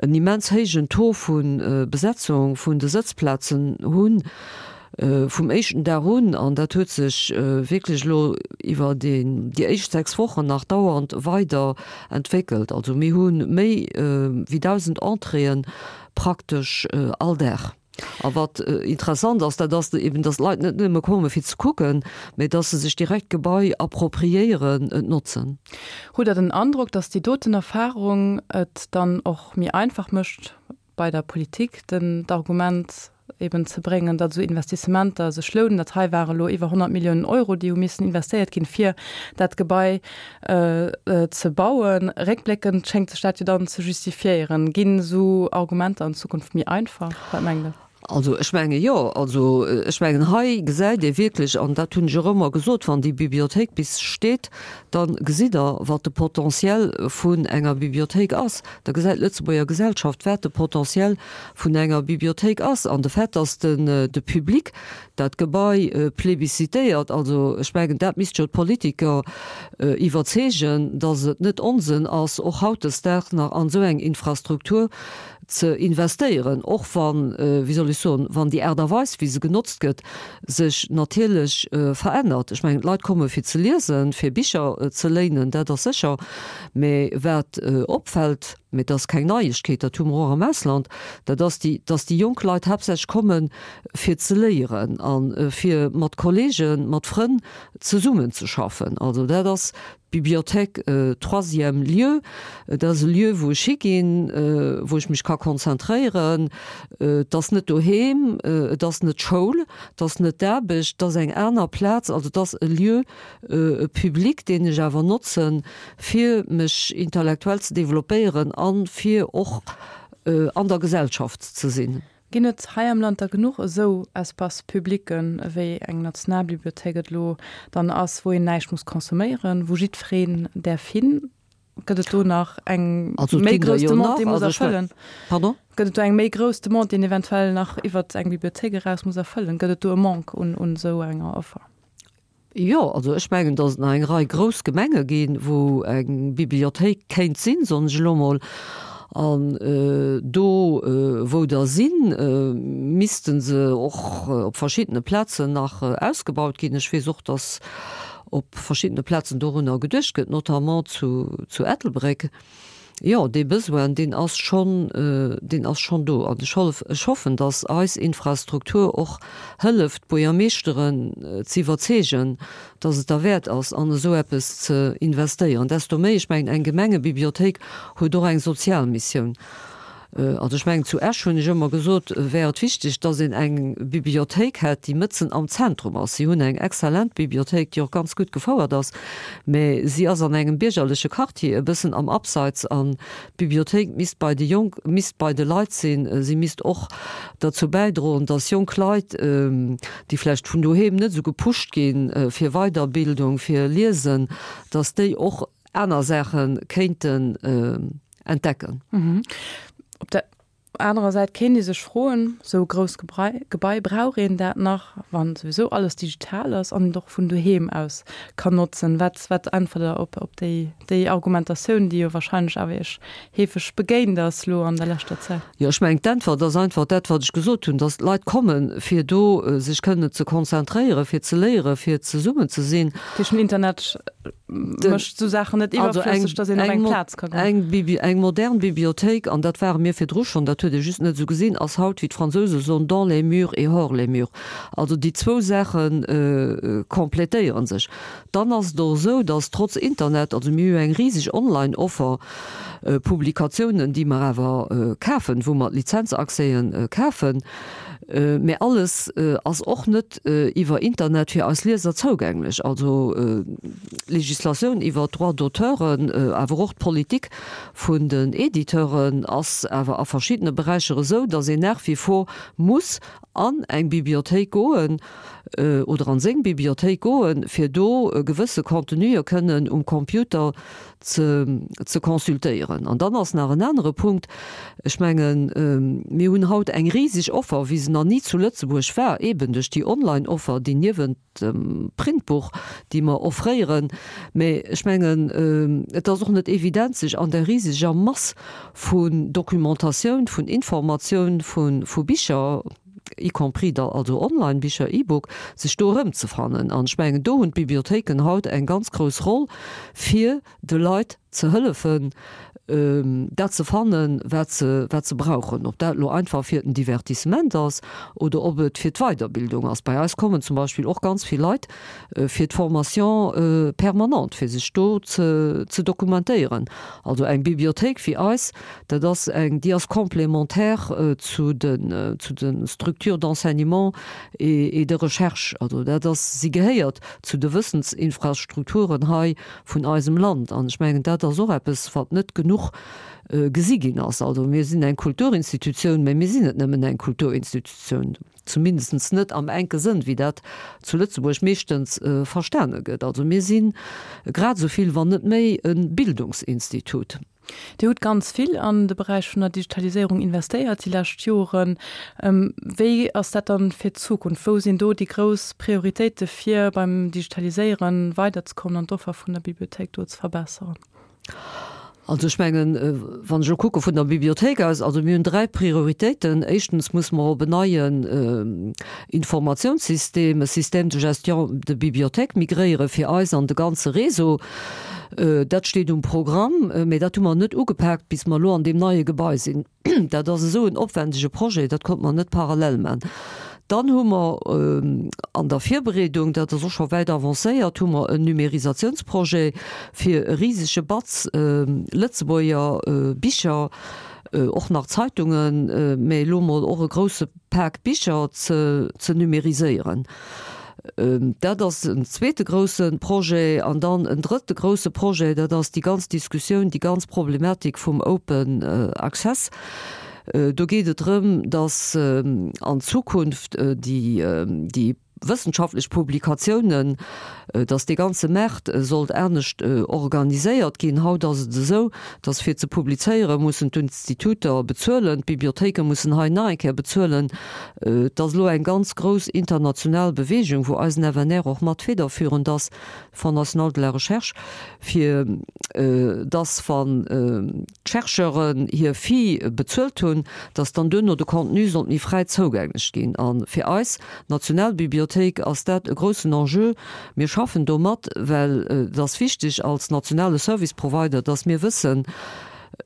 en immens héijen Taux vu Besetzung vun de Sëtzplazen hunn vum éischten Dag un. An dat huet sech wierklech elo iwwer déi éischt sechs Wochen nach dauernd weider entwéckelt. Also mir hu méi wéi dausend Entréeën praktesch all Dag. A wat interessant ass, dat ass eben, dass d'Leit net nëmme komme fir ze kucken, mä dass se sech direkt d'Gebai appropriéieren, et notzen. Hutt Der den Androck, dass déi doten Erfahrung et dann och méi einfach mécht bei der Politik, den d'Argument eben ze bréngen, datt esou Investissementer sech lounen? Dat hei ware elo iwwer honnert Milliounen Euro, déi hu missen investéiert ginn, fir dat Gebai ze bauen. Réckbléckend schéngt sech dat jo dann ze justifiéieren. Ginn esou Argumenter an Zukunft méi einfach? Wat mengt Der? Also ech menge jo. Also ech mengen, hei gesäit ee wierklech, an dat hunn ech och ëmmer gesot, wann déi Bibliothéik bis steet, da gesitt Der, wat de Potentiel vun enger Bibliothéik ass. Da gesäit d'Lëtzebuerger Gesellschaft, wat de Potentiel vun enger Bibliothéik ass. An de Fait, dass den de Public dat Gebai plébiscitéiert, also ech mengen, dat misst jo d'Politiker iwwerzeegen, dass et net Onsënn ass, och hautdesdaags nach an esou eng Infrastruktur ze investéieren, och wann, wéi soll ech soen, wann déi Aart a Weis, wéi se genotzt gëtt, sech natierlech verännert. Ech mengen, d'Leit komme fir ze liesen, fir Bicher ze léinen, dat ass sécher. Mä wat opfält, mä dat ass keng Neiegkeet, dat hu mer och am Ausland, dat ass déi, dass déi jonk Leit haaptsächlech komme fir ze léieren a fir mat Kollegen, mat Frënn zesummenzeschaffen. Also dat ass d'Bibliothèque troisième lieu. Dat ass e Lieu, wou ech higinn, wou ech mech ka konzentréieren. Et ass net doheem, et ass net d'Schoul, et ass net d'Aarbecht, et ass eng aner Plaz. Also et ass e Lieu public, deen ech awer notzen, fir mech intellektuell ze developpéieren a fir och an der Gesellschaft ze sinn. Ginn et hei am Land da genuch esou Espaces publicen, ewéi eng Nationalbibliothéik et elo dann ass, wou een näischt muss consomméieren, wou jiddwereen däerf hin? Gëtt et do nach eng méi grouss Demande, déi muss erfëllen? Pardon? Gëtt et do eng méi grouss Demande, déi een eventuell nach iwwert eng Bibliothéik eraus muss erfëllen? Gëtt et do e Manque un esou enger Offer? Jo, also ech mengen, datt et nach eng Rei grouss Gemenge ginn, wou eng Bibliothéik kéint sinn, soen ech elo mol. An do, wou der sinn, misste se och op verschiddene Plazen nach ausgebaut ginn. Ech weess och, datt op verschiddene Plazen dorunner geduecht gëtt, notamment zu, zu Ettelbréck. Jo, dee Besoin, deen ass schonn, deen ass schonn do. An ech hollef, ech hoffen, dass eis Infrastruktur och hëlleft, d'Buergermeeschteren ze iwwerzeegen, dass et derwäert ass, an esou eppes ze investéieren. Desto méi, ech mengen, eng Gemengebibliothéik huet och eng sozial Missioun. Also ech mengen, zu Esch, hunn ech ëmmer gesot, wär et wichteg, dass een eng Bibliothéik hätt, déi mëtzen am Zentrum ass. Si hunn eng exzellent Bibliothéik, déi och ganz gutt gefouert ass, mä si ass an engem biergerleche Quartier, e bëssen am Abseits, an d'Bibliothéik misst bei de Jonk, misst bei de Leit sinn. Si misst och derzou bäidroen, dass jonk Leit, déi vläicht vun doheem net esou gepusht ginn fir Weiderbildung, fir Liesen, dass déi och aner Saache kéinten entdecken. Op der anerer Säit kéint ee sech froen, esou e grousst Gebai, brauch een dat nach, wann souwisou alles digital ass an een et och vun doheem aus kann notzen? Wat wat äntwert Der op op déi déi Argumentatioun, déi jo wahrscheinlech awer Iech heefeg begéint ass elo an der leschter Zäit? Jo, ech mengen, d'Äntwert ass einfach dat, wat ech gesot hunn, dass d'Leit kommen, fir do sech kënnen ze konzentréieren, fir ze léieren, fir zesummen ze sinn. Dat heescht, den Internet mécht esou Saachen net iwwerflësseg, dass een op eng Plaz ka goen? Eng eng modern Bibliothéik, an dat ware mir virdru schonn, dat huet ee just net esou gesinn, ass haut, wéi d'Fransouse soen, dans les murs et hors les murs. Also déi zwou Saache complétéiere sech. Dann ass et och esou, dass trotz Internet, also mir hu jo eng riseg Online-Offer, Publikatiounen, déi mer awer kafen, wou mer d'Lizenzaccèsen kafen, mä alles ass och net iwwer Internet fir eis Lieser zougänglech. Also d'Legislatioun iwwer d'Droits d'auteuren, awer och d'Politik vun den Editeuren ass awer a verschiddene Beräicher esou, dass een nach wie vor muss an eng Bibliothéik goen oder an seng Bibliothéik goen, fir do gewësse Contenuë kënnen um Computer ze ze consultéieren. An dann ass nach en anere Punkt, ech mengen, mir hunn haut eng riseg Offer, wéi se nach ni zu Lëtzebuerg war, eeben duerch déi Online-Offer, déi niewent dem Printbuch, déi mer offréieren. Mä ech mengen, et ass och net evident, sech an där riseger Mass vun Documentatioun, vun Informatioun, vu Bicher, y compris da also Online-Bicher, E-Book, sech do erëmzefannen. An ech mengen, do hunn d'Bibliothéiken haut eng ganz grouss Roll, fir de Leit ze hëllefen, dat ze fannen, wat se, wat se brauchen. Ob dat elo einfach fir den Divertissement ass oder ob et fir d'Weiderbildung ass. Bei eis kommen zum Beispill och ganz vill Leit fir d'Formation permanente, fir sech do ze, ze dokumentéieren. Also eng Bibliothéik wéi eis, dat ass eng, déi ass complémentaire zu den, zu de Structures d'enseignement et, et de recherche. Also dat ass, si gehéiert zu de Wëssensinfrastrukturen hei vun eisem Land. An ech mengen, dat ass och eppes, wat net genuch gesi ginn ass. Also mir sinn eng Kulturinstitutioun, mä mir sinn net nëmmen eng Kulturinstitutioun, zumindest net am enke Sënn, wéi dat zu Lëtzebuerg meeschtens verstane gëtt. Also mir si grad esou vill, wann net méi, e Bildungsinstitut. Dir hutt ganz vill an de Beräich vun der Digitaliséierung investéiert déi lescht Joren. Wéi ass dat dann fir d'Zukunft? Wou sinn do déi grouss Prioritéite fir beim Digitaliséieren weiderzekommen an d'Offer vun der Bibliothéik do ze verbesseren? Also ech mengen, wann ech elo kucke vun der Bibliothéik aus, also mir hunn dräi Prioritéiten. Éischtens musse mer op en neien Informatiounssystem, e Système de gestion de bibliothèque migréiere fir eis an de ganze Réseau. Dat steet um Programm, mä dat hu mer net ugepaakt, bis mer elo an deem neie Gebai sinn. Dat ass esou en opwändege Projet, dat konnt mer net parallel man. Dann hu mer an der Virbereedung, dat ass och scho wäit avancéiert, hu mer en Numérisatiounsprojet fir e risege Batz Lëtzebuerger Bicher, och nach Zeitungen, mä elo mol och e grouse Pak Bicher ze numériséieren. Dat ass en zweete grouse Projet. An dann en drëtte grouse Projet, dat ass déi ganz Diskussioun, déi ganz Problematik vum Open Access. Do geet et drëm, datt an Zukunft déi wëssenschaftlech Publikatiounen, datt dee ganze Maart sollt anescht organiséiert ginn. Haut ass et esou, datt fir ze publizéiere mussen d'Instituter bezuelen, d'Bibliothéike mussen hei nach eng Kéier bezuelen. Et ass elo eng ganz grouss international Bewegung, wou eisen F N R och mat federführend ass, Fonds national de la recherche, fir datt wann d'Chercheuren hir Fee bezuelt hunn, datt dann duerno de Contenu sollt méi fräi zougänglech ginn. A fir eis Nationalbibliothéik Nationalbibliothéik ass dat e groussen Enjeu. Mir schaffen do mat, well et ass wichteg als nationale Service Provider, dass mir wëssen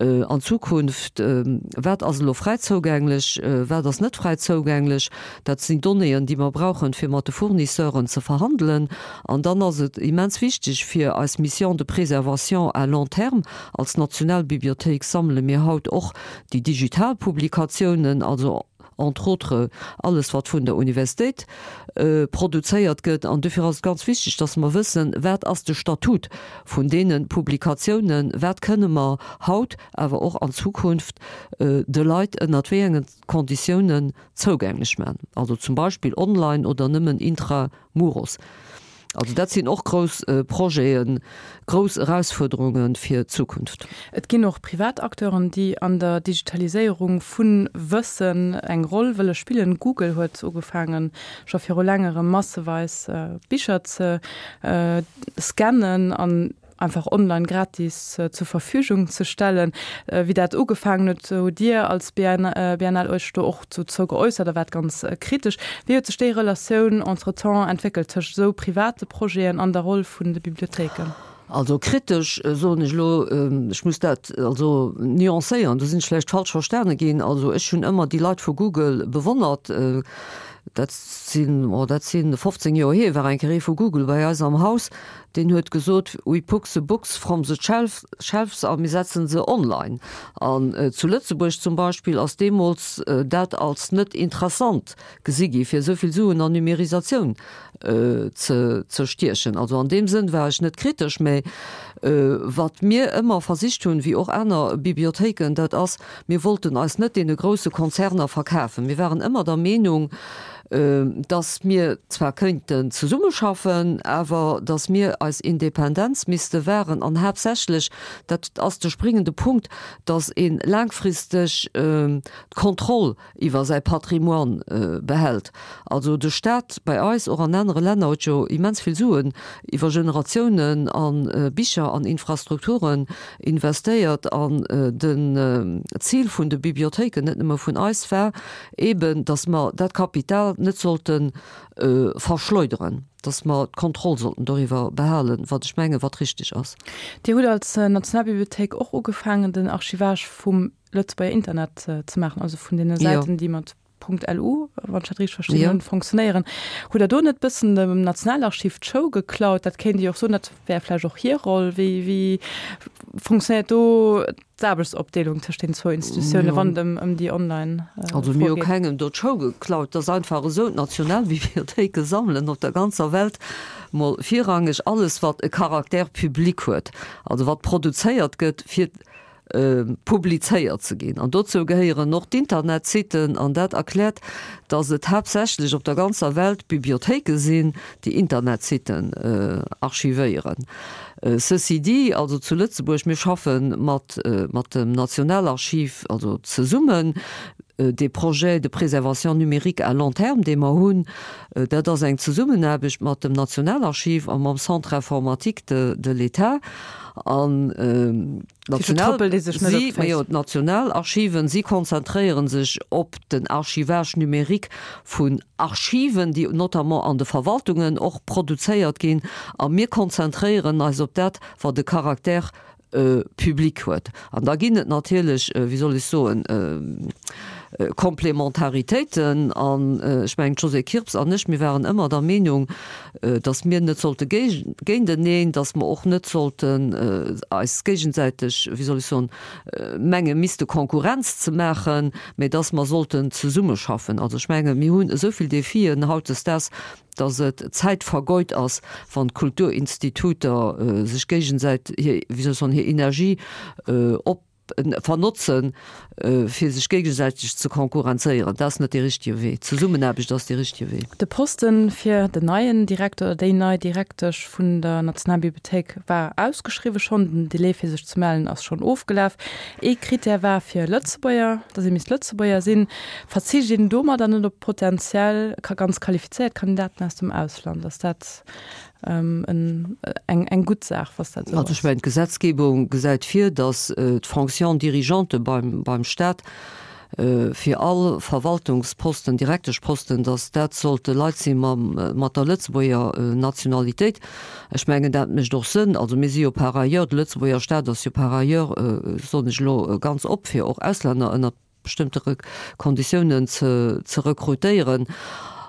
an Zukunft, wat ass elo fräi zougänglech, wat ass net fräi zougänglech. Dat sinn Donnéeën, déi mer brauchen, fir mat de Fournisseuren ze verhandelen. An dann ass et immens wichteg fir eis Mission de préservation à long terme. Als Nationalbibliothéik sammele mir haut och déi digital Publikatiounen, also entre autres alles wat vun der Universitéit produzéiert gëtt. An dofir ass et ganz wichteg, dass mer wëssen, wat ass de Statut vun deene Publikatiounen, wat kënne mer haut, awer och an Zukunft de Leit ënnert wéi engen Konditiounen zougänglech man, also zum Beispill online oder nëmmen intra muros. Also dat sinn och grouss Projeten, grouss Erausfuerderunge fir d'Zukunft. Et ginn och privat Acteuren, déi an der Digitaliséierung vu Wëssen eng Roll wëlle spillen. Google huet ugefaangen, scho viru längerem masseweis Bicher ze scannen an einfach online gratis zur Verfügung ze stellen. Wéi dat ugefaangen huet, hutt Dir als B N L Iech do och dozou geäussert a waart ganz kritesch. Wéi huet sech déi Relatioun entretemps entwéckelt tëscht esou private Projeten an der Roll vun de Bibliothéiken? Also kritesch soen ech elo, ech muss dat also nuancéieren, do sinn ech vläicht falsch verstane ginn. Also ech hunn ëmmer déi Leit vu Google bewonnert, dat sinn, oh dat si fofzéng Joer hier, war eng Kéier ee vu Google bei eis am Haus, deen huet gesot, we pick the books from the shelf, shelves a mir setzen se online. An zu Lëtzebuerg zum Beispill ass deemools dat als net interessant gesi gi fir esou vill Suen an Numerisatioun ze ze stiechen. Also an deem Sënn war ech net kritesch, mä wat mir ëmmer versicht hunn, wéi och aner Bibliothéiken, dat ass, mir wollten eis net deene grousse Konzerner verkafen. Mir waren ëmmer der Meenung, dass mir zwar kënnten zesummeschaffen, awer dass mir eis Independenz misste wahren an haaptsächlech, dat ass de springende Punkt, dass ee laangfristeg d'Kontroll iwwer säi Patrimoine behält. Also de Staat bei eis, och an anere Länner, huet jo immens vill Suen iwwer Generatiounen a Bicher an Infrastrukturen investéiert an den Zil vun de Bibliothéiken, net nëmme vun eis, war eben, dass mer dat Kapital net sollte verschleuderen, dass mer d'Kontroll sollten doriwwer behalen, wat ech mengen, wat richteg ass. Dir hutt als Nationalbibliothéik och ugefaangen, den Archivage vum Lëtzebuerger Internet ze maachen, also vun deene Säiten, déi mat .lu, wann ech dat richteg verstinn hunn, funktionéieren. Hutt Der do net bëssen dem Nationalarchiv d'Show geklaut? Dat kéint Dir jo och soen, dat wär vläicht och hir Roll. Wéi, wéi funktionéiert do d'Aarbechtsopdeelung tëscht den zwou Institutiounen, wann et ëm déi online Also mir hu kengem do d'Show geklaut. Dat ass einfach esou, D'Nationalbibliothéike sammelen op der ganzer Welt mol virrangeg alles, wat e Caractère public huet, also wat produzéiert gëtt, fir publizéiert ze ginn. An dozou gehéieren och d'Internetsitten an dat erkläert, dass et haaptsächlech op der ganzer Welt Bibliothéike sinn, déi Internetsitten archivéieren. Ceci dit, also zu Lëtzebuerg, mir schaffe mat mat dem Nationalarchiv also zesummen. Dee Projet de préservation numérique à long terme, dee mer hunn, dat ass eng Zesummenaarbecht mat dem Nationalarchiv a mam Centre informatique de de l'État. An d'Nationalarchiven, si konzentréiere sech op den Archivage numérique vun Archiven, déi notamment an de Verwaltungen och produzéiert ginn, a mir konzentréieren eis op dat, wat de Caractère public huet. An da ginn et natierlech, wéi soll ech soen, Komplementaritéiten. An ech mengen, d'Josée Kirps an ech, mir waren ëmmer der Meenung, datt mir net sollte géinteneen, datt mer och net sollten eis géigesäiteg, wéi soll ech soen, menge misste Konkurrenz ze maachen, mä datt mer sollten zesummeschaffen. Also ech menge mir hunn esou vill Defien hautdesdaags, datt et Zäit vergeut ass, wann d'Kulturinstituter sech géigesäit hir, wéi soll ech soen, hir Energie op vernotzen, fir sech géigesäiteg ze konkurrenzéieren. Dat ass net dee richtege Wee. D'Zesummenaarbecht ass dee richtege Wee. De Posten fir den neien Direkter oder déi nei Direktesch vun der Nationalbibliothéik war ausgeschriwwen schonn. Den Delai fir sech ze mellen ass schonn ofgelaf. Ee Krittär war fir Lëtzebuerger, datt ee misst Lëtzebuerger sinn. Verzicht een domadder net op potenziell ganz qualifizéiert Kandidaten aus dem Ausland? Ass dat eng eng gutt Saach, was dat esou ass? Also ech mengen, d'Gesetzgebung gesäit vir, datt d'Fonction dirigeante beim beim Staat fir all Verwaltungsposten, Direkteschposten, datt dat sollte Leit si mam, mat der Lëtzebuerger Nationalitéit. Ech mengen, dat mécht och Sënn. Also mir si jo par ailleurs, de Lëtzebuerger Staat ass jo par ailleurs, soen ech elo, ganz op fir och Auslänner ënner bestëmmte Konditiounen ze, ze rekrutéieren.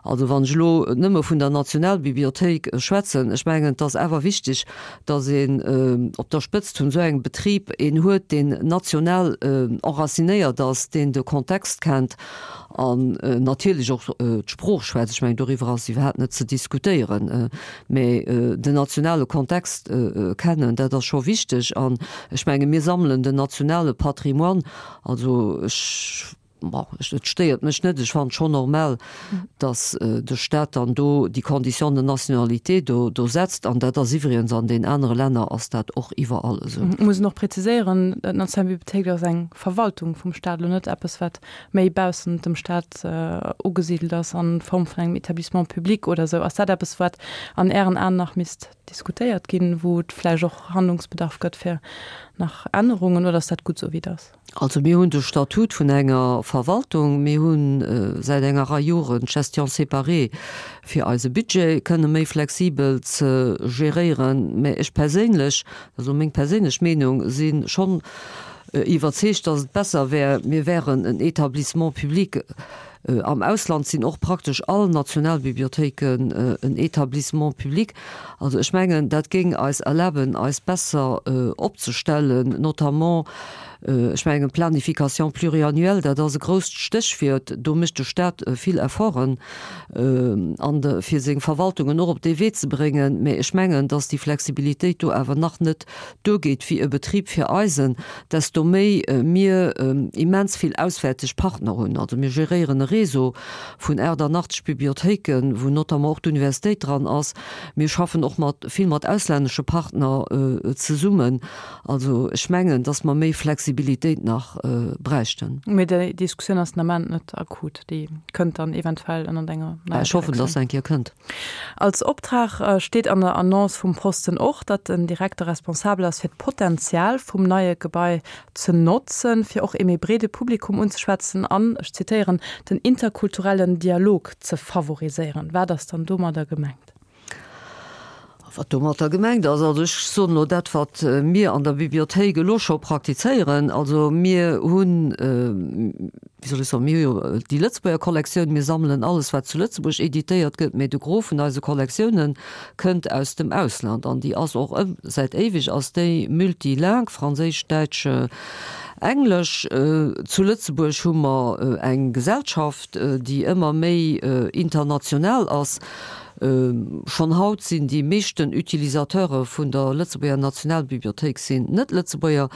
Also wann ech elo nëmme vun der Nationalbibliothéik schwätzen, ech mengen, et ass awer wichteg, datt een op der Spëtzt vun esou engem Betrib een huet, deen national enracinéiert ass, deen de Kontext kennt an natierlech och d'Sprooch schwätzt. Ech mengen, doriwwer ass iwwerhaapt net ze diskutéieren. Mä den nationale Kontext kennen, dat ass scho wichteg. An ech menge mir sammelen den nationale Patrimoine. Also ech Bon, et stéiert mech net. Ech fannen et schonn normal, datt de Staat dann do déi Condition de nationalité do do setzt. An dat ass iwwregens an den anere Länner ass dat och iwwerall esou. Et muss een och präziséieren, d'Nationalbibliothéik ass eng Verwaltung vum Staat, elo net eppes, wat méi baussent dem Staat ugesidelt ass an Form vun engem Établissement public oder esou. Ass dat eppes, wat an Ären Aen nach misst diskutéiert ginn, wou et vläicht och Handlungsbedarf gëtt fir nach Ännerungen, oder ass dat gutt esou, wéi et ass? Also mir hunn de Statut vun enger Verwaltung, mir hu säit enger Rei Joren d'Gestion séparée, fir eise Budget kënne méi flexibel ze geréieren. Mä ech perséinlech, also meng perséinlech Meenung, si schonn iwwerzeegt, datt et besser wär, mir wären en Établissement public. Am Ausland sinn och praktesch all Nationalbibliothéiken en Établissement public. Also ech mengen, dat géing eis erlaben, eis besser opzestellen, notamment, ech mengen, d'Planification pluriannuelle, dat ass e grousst Stéchwuert. Do mécht de Stat vill Efforten, an de, fir seng Verwaltungen och op dee Wee ze bréngen. Mä ech mengen, dass déi Flexibilitéit do awer nach net duergeet wéi e Betrib fir eisen, desto méi mir immens vill auswäerteg Partner hunn. Also mir geréieren e Réseau vun achtannachtzeg Bibliothéiken, wou notamment och d'Universitéit dran ass. Mir schaffen och mat, vill mat auslännesche Partner zesummen. Also ech mengen, dass mer méi Flexibilitéit nach bräichten. Mee déi Diskussioun ass den Ament net akut. Déi kënnt dann eventuell ënnert enger neier Ech hoffen, dass se eng Kéier kënnt. Als Optrag steet an der Annonce vum Posten och, datt den Direkter responsabel ass fir d'Potenzial vum neie Gebai ze notzen, fir och ee méi breede Publikum unzeschwätzen an, ech zitéieren, den interkulturellen Dialog ze favoriséieren. Wat ass dann domadder gemengt? Wat domatter gemengt ass, also ech soen elo dat, wat mir an der Bibliothéik elo scho praktizéieren. Also mir hunn, wéi soll ech soen, mir hu jo déi Lëtzebuerger Kollektioun, mir sammelen alles, wat zu Lëtzebuerg editéiert gëtt, mä de Gros vun eise Kollektiounen kënnt aus dem Ausland an déi ass och ëm, säit éiweg ass déi multilingue, Franséisch, Däitsch, Englesch. Zu Lëtzebuerg hu mer eng Gesellschaft, déi ëmmer méi international ass. Schonn haut sinn déi meeschten Utilisateure vun der Lëtzebuerger Nationalbibliothéik sinn Net-Lëtzebuerger.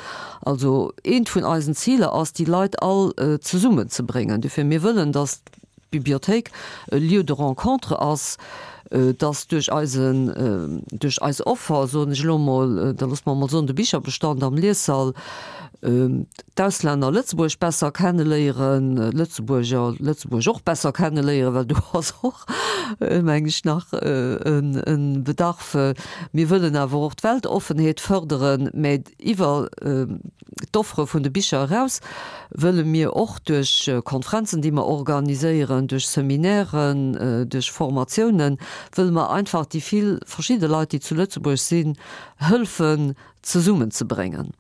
Also eent vun eisen Ziler ass, déi Leit all zesummen ze bréngen. Dofir, mir wëllen, datt d'Bibliothéik e Lieu de rencontre ass, datt duerch eisen, duerch eis Offer, soen ech elo emol, da loosse mer emol soen, de Bicherbestand am Liessall, d'Auslänner Lëtzebuerg besser kenneléieren, d'Lëtzebuerger Lëtzebuerg och besser kenneléieren, well do ass och, meng ech, nach e Bedarf. Mir wëllen awer och d'Weltoffenheet fërderen, mä iwwer d'Offere vun de Bicher eraus wëlle mir och duerch Konferenzen, déi mer organiséieren, duerch Seminairen, duerch Formatiounen, wëlle mer einfach déi vill verschidde Leit, déi zu Lëtzebuerg sinn, hëlfen zesummenzebréngen.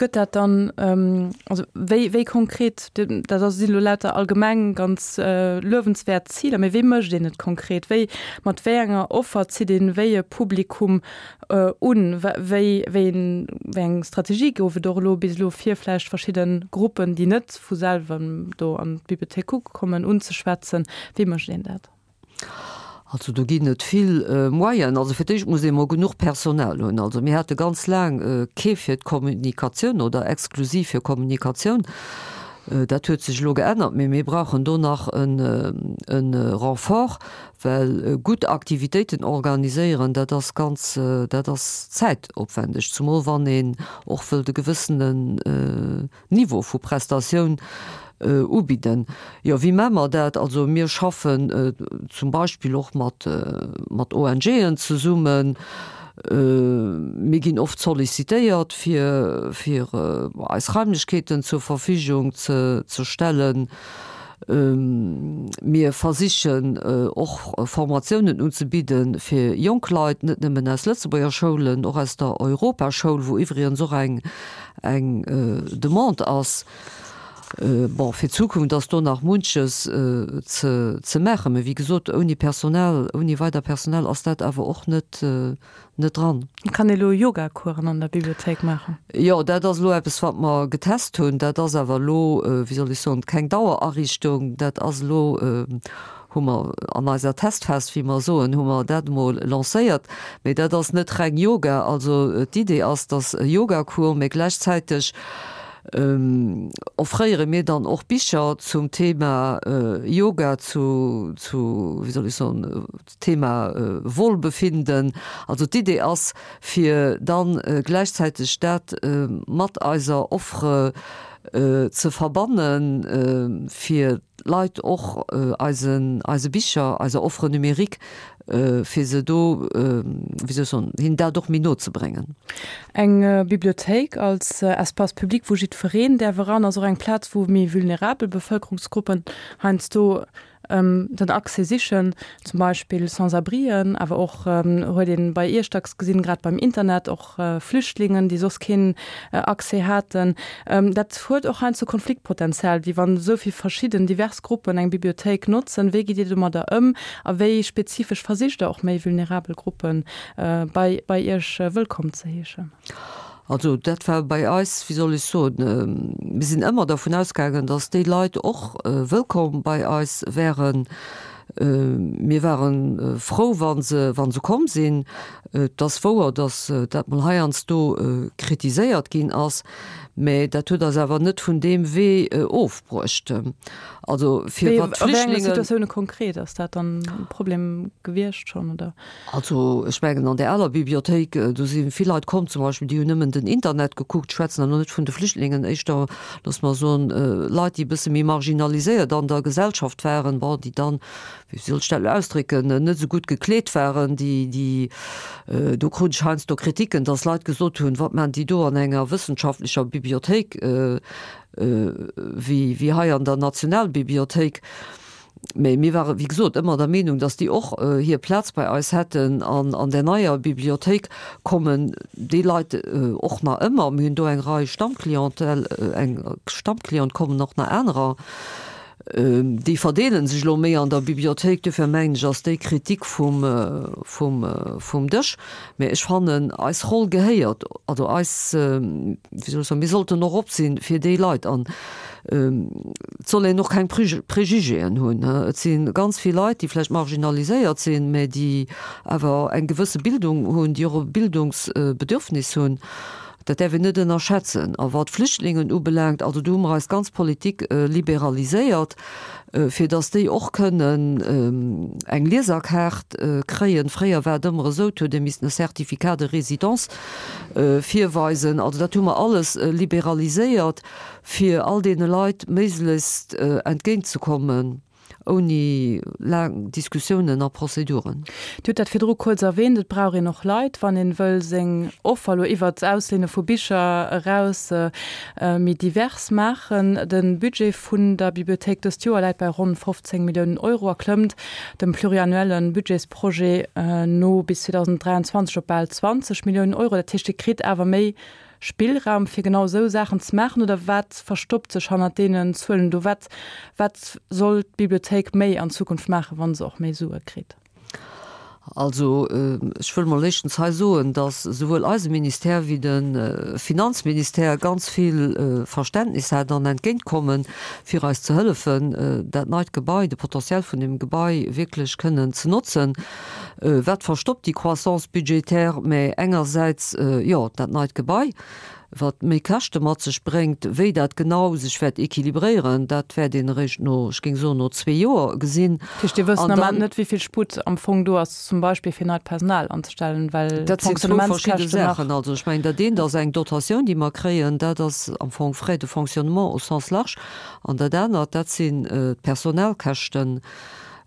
Gëtt dat dann, also wéi, wéi konkret, dat ass, si lo lauter allgemeng ganz luewenswäert Ziler, mee wéi mécht een et konkret? Wéi, mat wéi enger Offer zitt een wéi e Publikum un? Wéi, wéi een, wéi eng Strategie gouf et och elo bis elo fir vläicht verschidde Gruppen, déi net vu selwem do an d'Bibliothéik kucke kommen, unzeschwätzen? Wéi mécht een dat? Also do ginn et vill Moyenen. Also fir d'éischt muss ee mol genuch Personal hunn. Also mir hate ganz laang kee fir d'Kommunikatioun oder exklusiv fir Kommunikatioun. Dat huet sech elo geännert, mee mir brauchen do nach e Renfort, well gutt Aktivitéiten organiséieren, dat ass ganz, dat ass zäitopwändeg, zumol wann een och wëllt e gewëssenen Niveau vu Prestatioun ubidden. Jo, wéi maache mer dat? Also mir schaffen zum Beispill och mat, mat ONGen zesummen. Mir ginn oft sollicitéiert, fir, fir eis Raimlechkeeten zur Verfügung ze, ze stellen. Mir versichen och Formatiounen unzebidde fir jonk Leit, net nëmmen aus Lëtzebuerger Schoulen, och aus der Europaschoul, wou iwwregens och eng, eng Demande ass. Bon, fir d'Zukunft ass do nach munches ze, ze maachen, mä wéi gesot, ouni Personal, ouni weider Personal ass dat awer och net, net dran. Et kann ee elo Yogacoursen an der Bibliothéik maachen. Jo, dat ass elo eppes, wat mer getest hunn. Dat ass awer elo, wéi soll ech soen, keng Dauerariichtung. Dat ass elo, hu mer an eiser Testphas, wéi mer soen, hu mer dat emol lancéiert. Mee dat ass net reng Yoga. Also d'Idee ass, dass e Yogacours, mee gläichzäiteg offréiere mir dann och Bicher zum Thema Yoga, zu, zu, wéi soll ech soen, Thema Wohlbefinden. Also d'Idee ass, fir dann gläichzäiteg dat mat eiser Offre ze verbannen, fir d'Leit och eisen, eise Bicher, eiser Offre numérique, fir se do, wéi soll ech soen, hinnen dat och méi no ze bréngen. Eng Bibliothéik als Espace public, wou jiddwereen däerf eran, ass och eng Plaz, wou méi vulnerabel Bevëlkerungsgruppen heiansdo den Accès sichen, zum Beispill Sans-abrien, awer och huet een bei Iech dacks gesinn, grad beim Internet, och Flüchtlingen, déi soss keen Accès haten. Dat huet och heiansdo Konfliktpotenzial, wéi wann esou vill verschidden divers Gruppen eng Bibliothéik notzen. Wéi gitt Dir domadder ëm a wéi spezifesch versicht Der och méi vulnerabel Gruppe bei bei Iech wëllkomm ze heeschen? Also dat war bei eis, wéi soll ech soen, mir sinn ëmmer dervun ausgaangen, datt déi Leit och wëllkomm bei eis wären. Mir ware frou, wa se, wa se komm sinn. Et ass wouer, datt dat mol heiansdo kritiséiert ginn ass, mä dat huet eis awer net vun deem Wee ofbruecht. Also fir wat d'Flüchtlingen. A wéi enge Situatioune konkret ass dat dann e Problem gewiescht schonn, oder? Also ech mengen an där aler Bibliothéik, do si vill Leit komm zum Beispill, déi hunn nëmmen den Internet gekuckt, ech schwätzen elo net vun de Flüchtlingen, éischter, loosse mer soen, Leit, déi e bësse méi marginaliséiert an der Gesellschaft waren, bon, déi dann, wéi soll ech dat elo ausdrécken, net esou gutt gekleet waren, déi, déi, do krut ech heiansdo Kritiken, datt Leit gesot hunn, wat maachen déi do an enger wëssenschaftlecher Bibliothéik, wéi, wéi hei an der Nationalbibliothéik. Mä mir ware wéi gesot ëmmer der Meenung, datt déi och hir Plaz bei eis hätten. An an där neier Bibliothéik kommen déi Leit och nach ëmmer. Mir hunn do eng Rei Stammclientèle, eng Stammcliente, kommen och nach anerer. Déi verdeele sech elo méi an der Bibliothéik. Dofir mengen ech, ass déi Kritik vum, vum, vum Dësch. Mä ech fannen, eis Roll gehéiert, also eis, wéi soll ech soen, mir sollten och op sinn fir déi Leit. An Et soll een och keng Prejugéen hunn. Et si ganz vill Leit, déi vläicht marginaliséiert sinn, mä déi awer eng gewësse Bildung hunn, déi och e Bildungsbedürfnis hunn. Dat däerf een net ënnerschätzen. A wat d'Flüchtlingen ubelaangt, also do hu mer eis ganz Politik liberaliséiert, fir datt déi och kënnen eng Lieserkaart kréien. Fréier war et ëmmer esou, et huet ee missen e Certificat de résidence virweisen. Also dat hu mer alles liberaliséiert, fir all deene Leit méiglechst entgéintzekommen, ouni laang Diskussiounen a Prozeduren. Dir hutt dat virdru kuerz erwähnt, et brauch een och Leit, wann een wëll seng Offer elo iwwert d'Ausléine vu Bicher eraus méi divers maachen. De Budget vun der Bibliothéik dëst Joer läit bei ronn fofzéng Milliounen Euro a klëmmt dem pluriannuelle Budgetsprojet no bis zweedausenddräianzwanzeg op bal zwanzeg Milliounen Euro. Dat heescht, Dir kritt awer méi Spillraum fir genau esou Saachen ze maachen oder wat verstoppt sech hannert deenen Zuelen do? Wat, wat soll d'Bibliothéik méi an Zukunft maachen, wa se och méi Sue kritt? Also ech wëll mol éischtens hei soen, datt esouwuel eise Ministère wéi de Finanzministère ganz vill Verständnis hat an Entgéintkommen, fir eis ze hëllefen, dat neit Gebai, de Potentiel vun deem Gebai wierklech kënnen ze notzen. Wat verstoppt déi Croissance budgétaire? Mä engersäits, jo, dat neit Gebai, wat méi Käschte mat sech bréngt. Wéi dat genau sech wäert équilibréieren, dat wäert een eréischt no, ech géing soen, no zwee Joer gesinn. Dat heescht, Dir wësst den Ament net, wéi vill Sputt am Fong do ass, zum Beispill fir neit Personal anzestellen, well Dat sinn zwou verschidde d'Fonctionnementskäschten nach. Saachen. Also ech mengen, dat eent ass eng Dotatioun, déi mer kréien, dat ass am Fong Frais de fonctionnement au sens large. An dat anert, dat sinn d'Personalkäschten.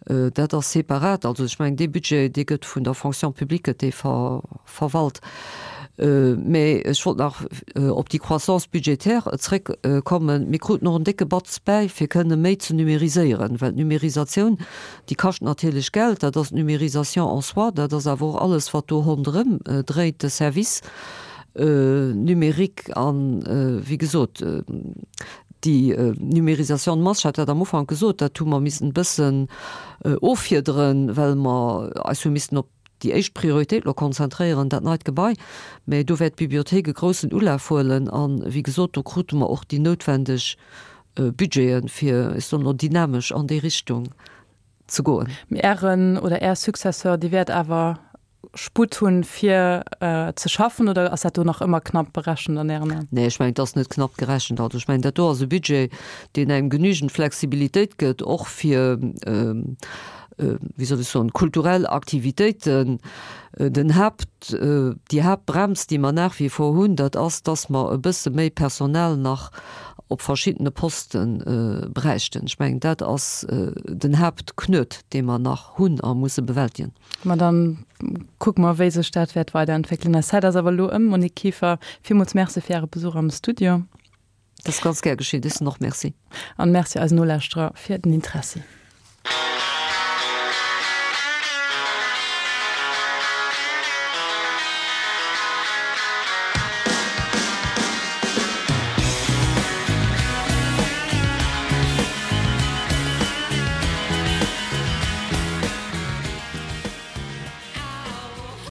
Dat ass separat. Also ech mengen, dee Budget, dee gëtt vun der Fonction publique gëtt dee ver, verwalt. Mä ech wollt nach op déi Croissance budgétaire zréckkommen. Mir kruten och en décke Batz bäi, fir kënne méi ze numériséieren, well d'Numérisatioun, déi kascht natierlech Geld. Dat ass d'Numérisation en soi, dat ass awer och alles, wat do ronderëm dréit, de Service numérique an, wéi gesot, déi Numérisation en masse, ech hat dat am Ufank gesot, dat hu mer missen e bëssen offiederen, well mer eis hu missen op déi éischt Prioritéit elo konzentréieren, dat neit Gebai. Mä do wäert d'Bibliothéik e groussen Ulaf huelen an, wéi gesot, do krute mer och déi noutwendeg Budgeten, fir, ech soen elo, dynamesch an déi Richtung ze goen. Mee Ären oder Är Successeur, déi wäert awer Sputt hunn, fir ze schaffen, oder ass dat do nach ëmmer knapp berechent an Ären Aen? Nee, ech mengen, et ass net knapp gerechent. Also ech mengen, dat do ass e Budget, deen engem genügend Flexibilitéit gëtt, och fir, wéi soll ech soen, kulturell Aktivitéiten. Den Haapt, déi Haaptbrems, déi mer nach wie vor hunn, dat ass, dass mer e bësse méi Personal nach op verschiddene Poste bräichten. Ech mengen, dat ass den Haaptknuet, dee mer nach hunn a musse bewältigen. Ma dann kucke mer, wéi sech dat wäert weiderentwéckelen. Eis Zäit ass awer elo ëm. Monique Kieffer, villmools Merci fir Äre Besuch am Studio. Dat ass ganz gär geschitt. Ech soen och Merci. An Merci eisen Nolauschterer fir den Interessi.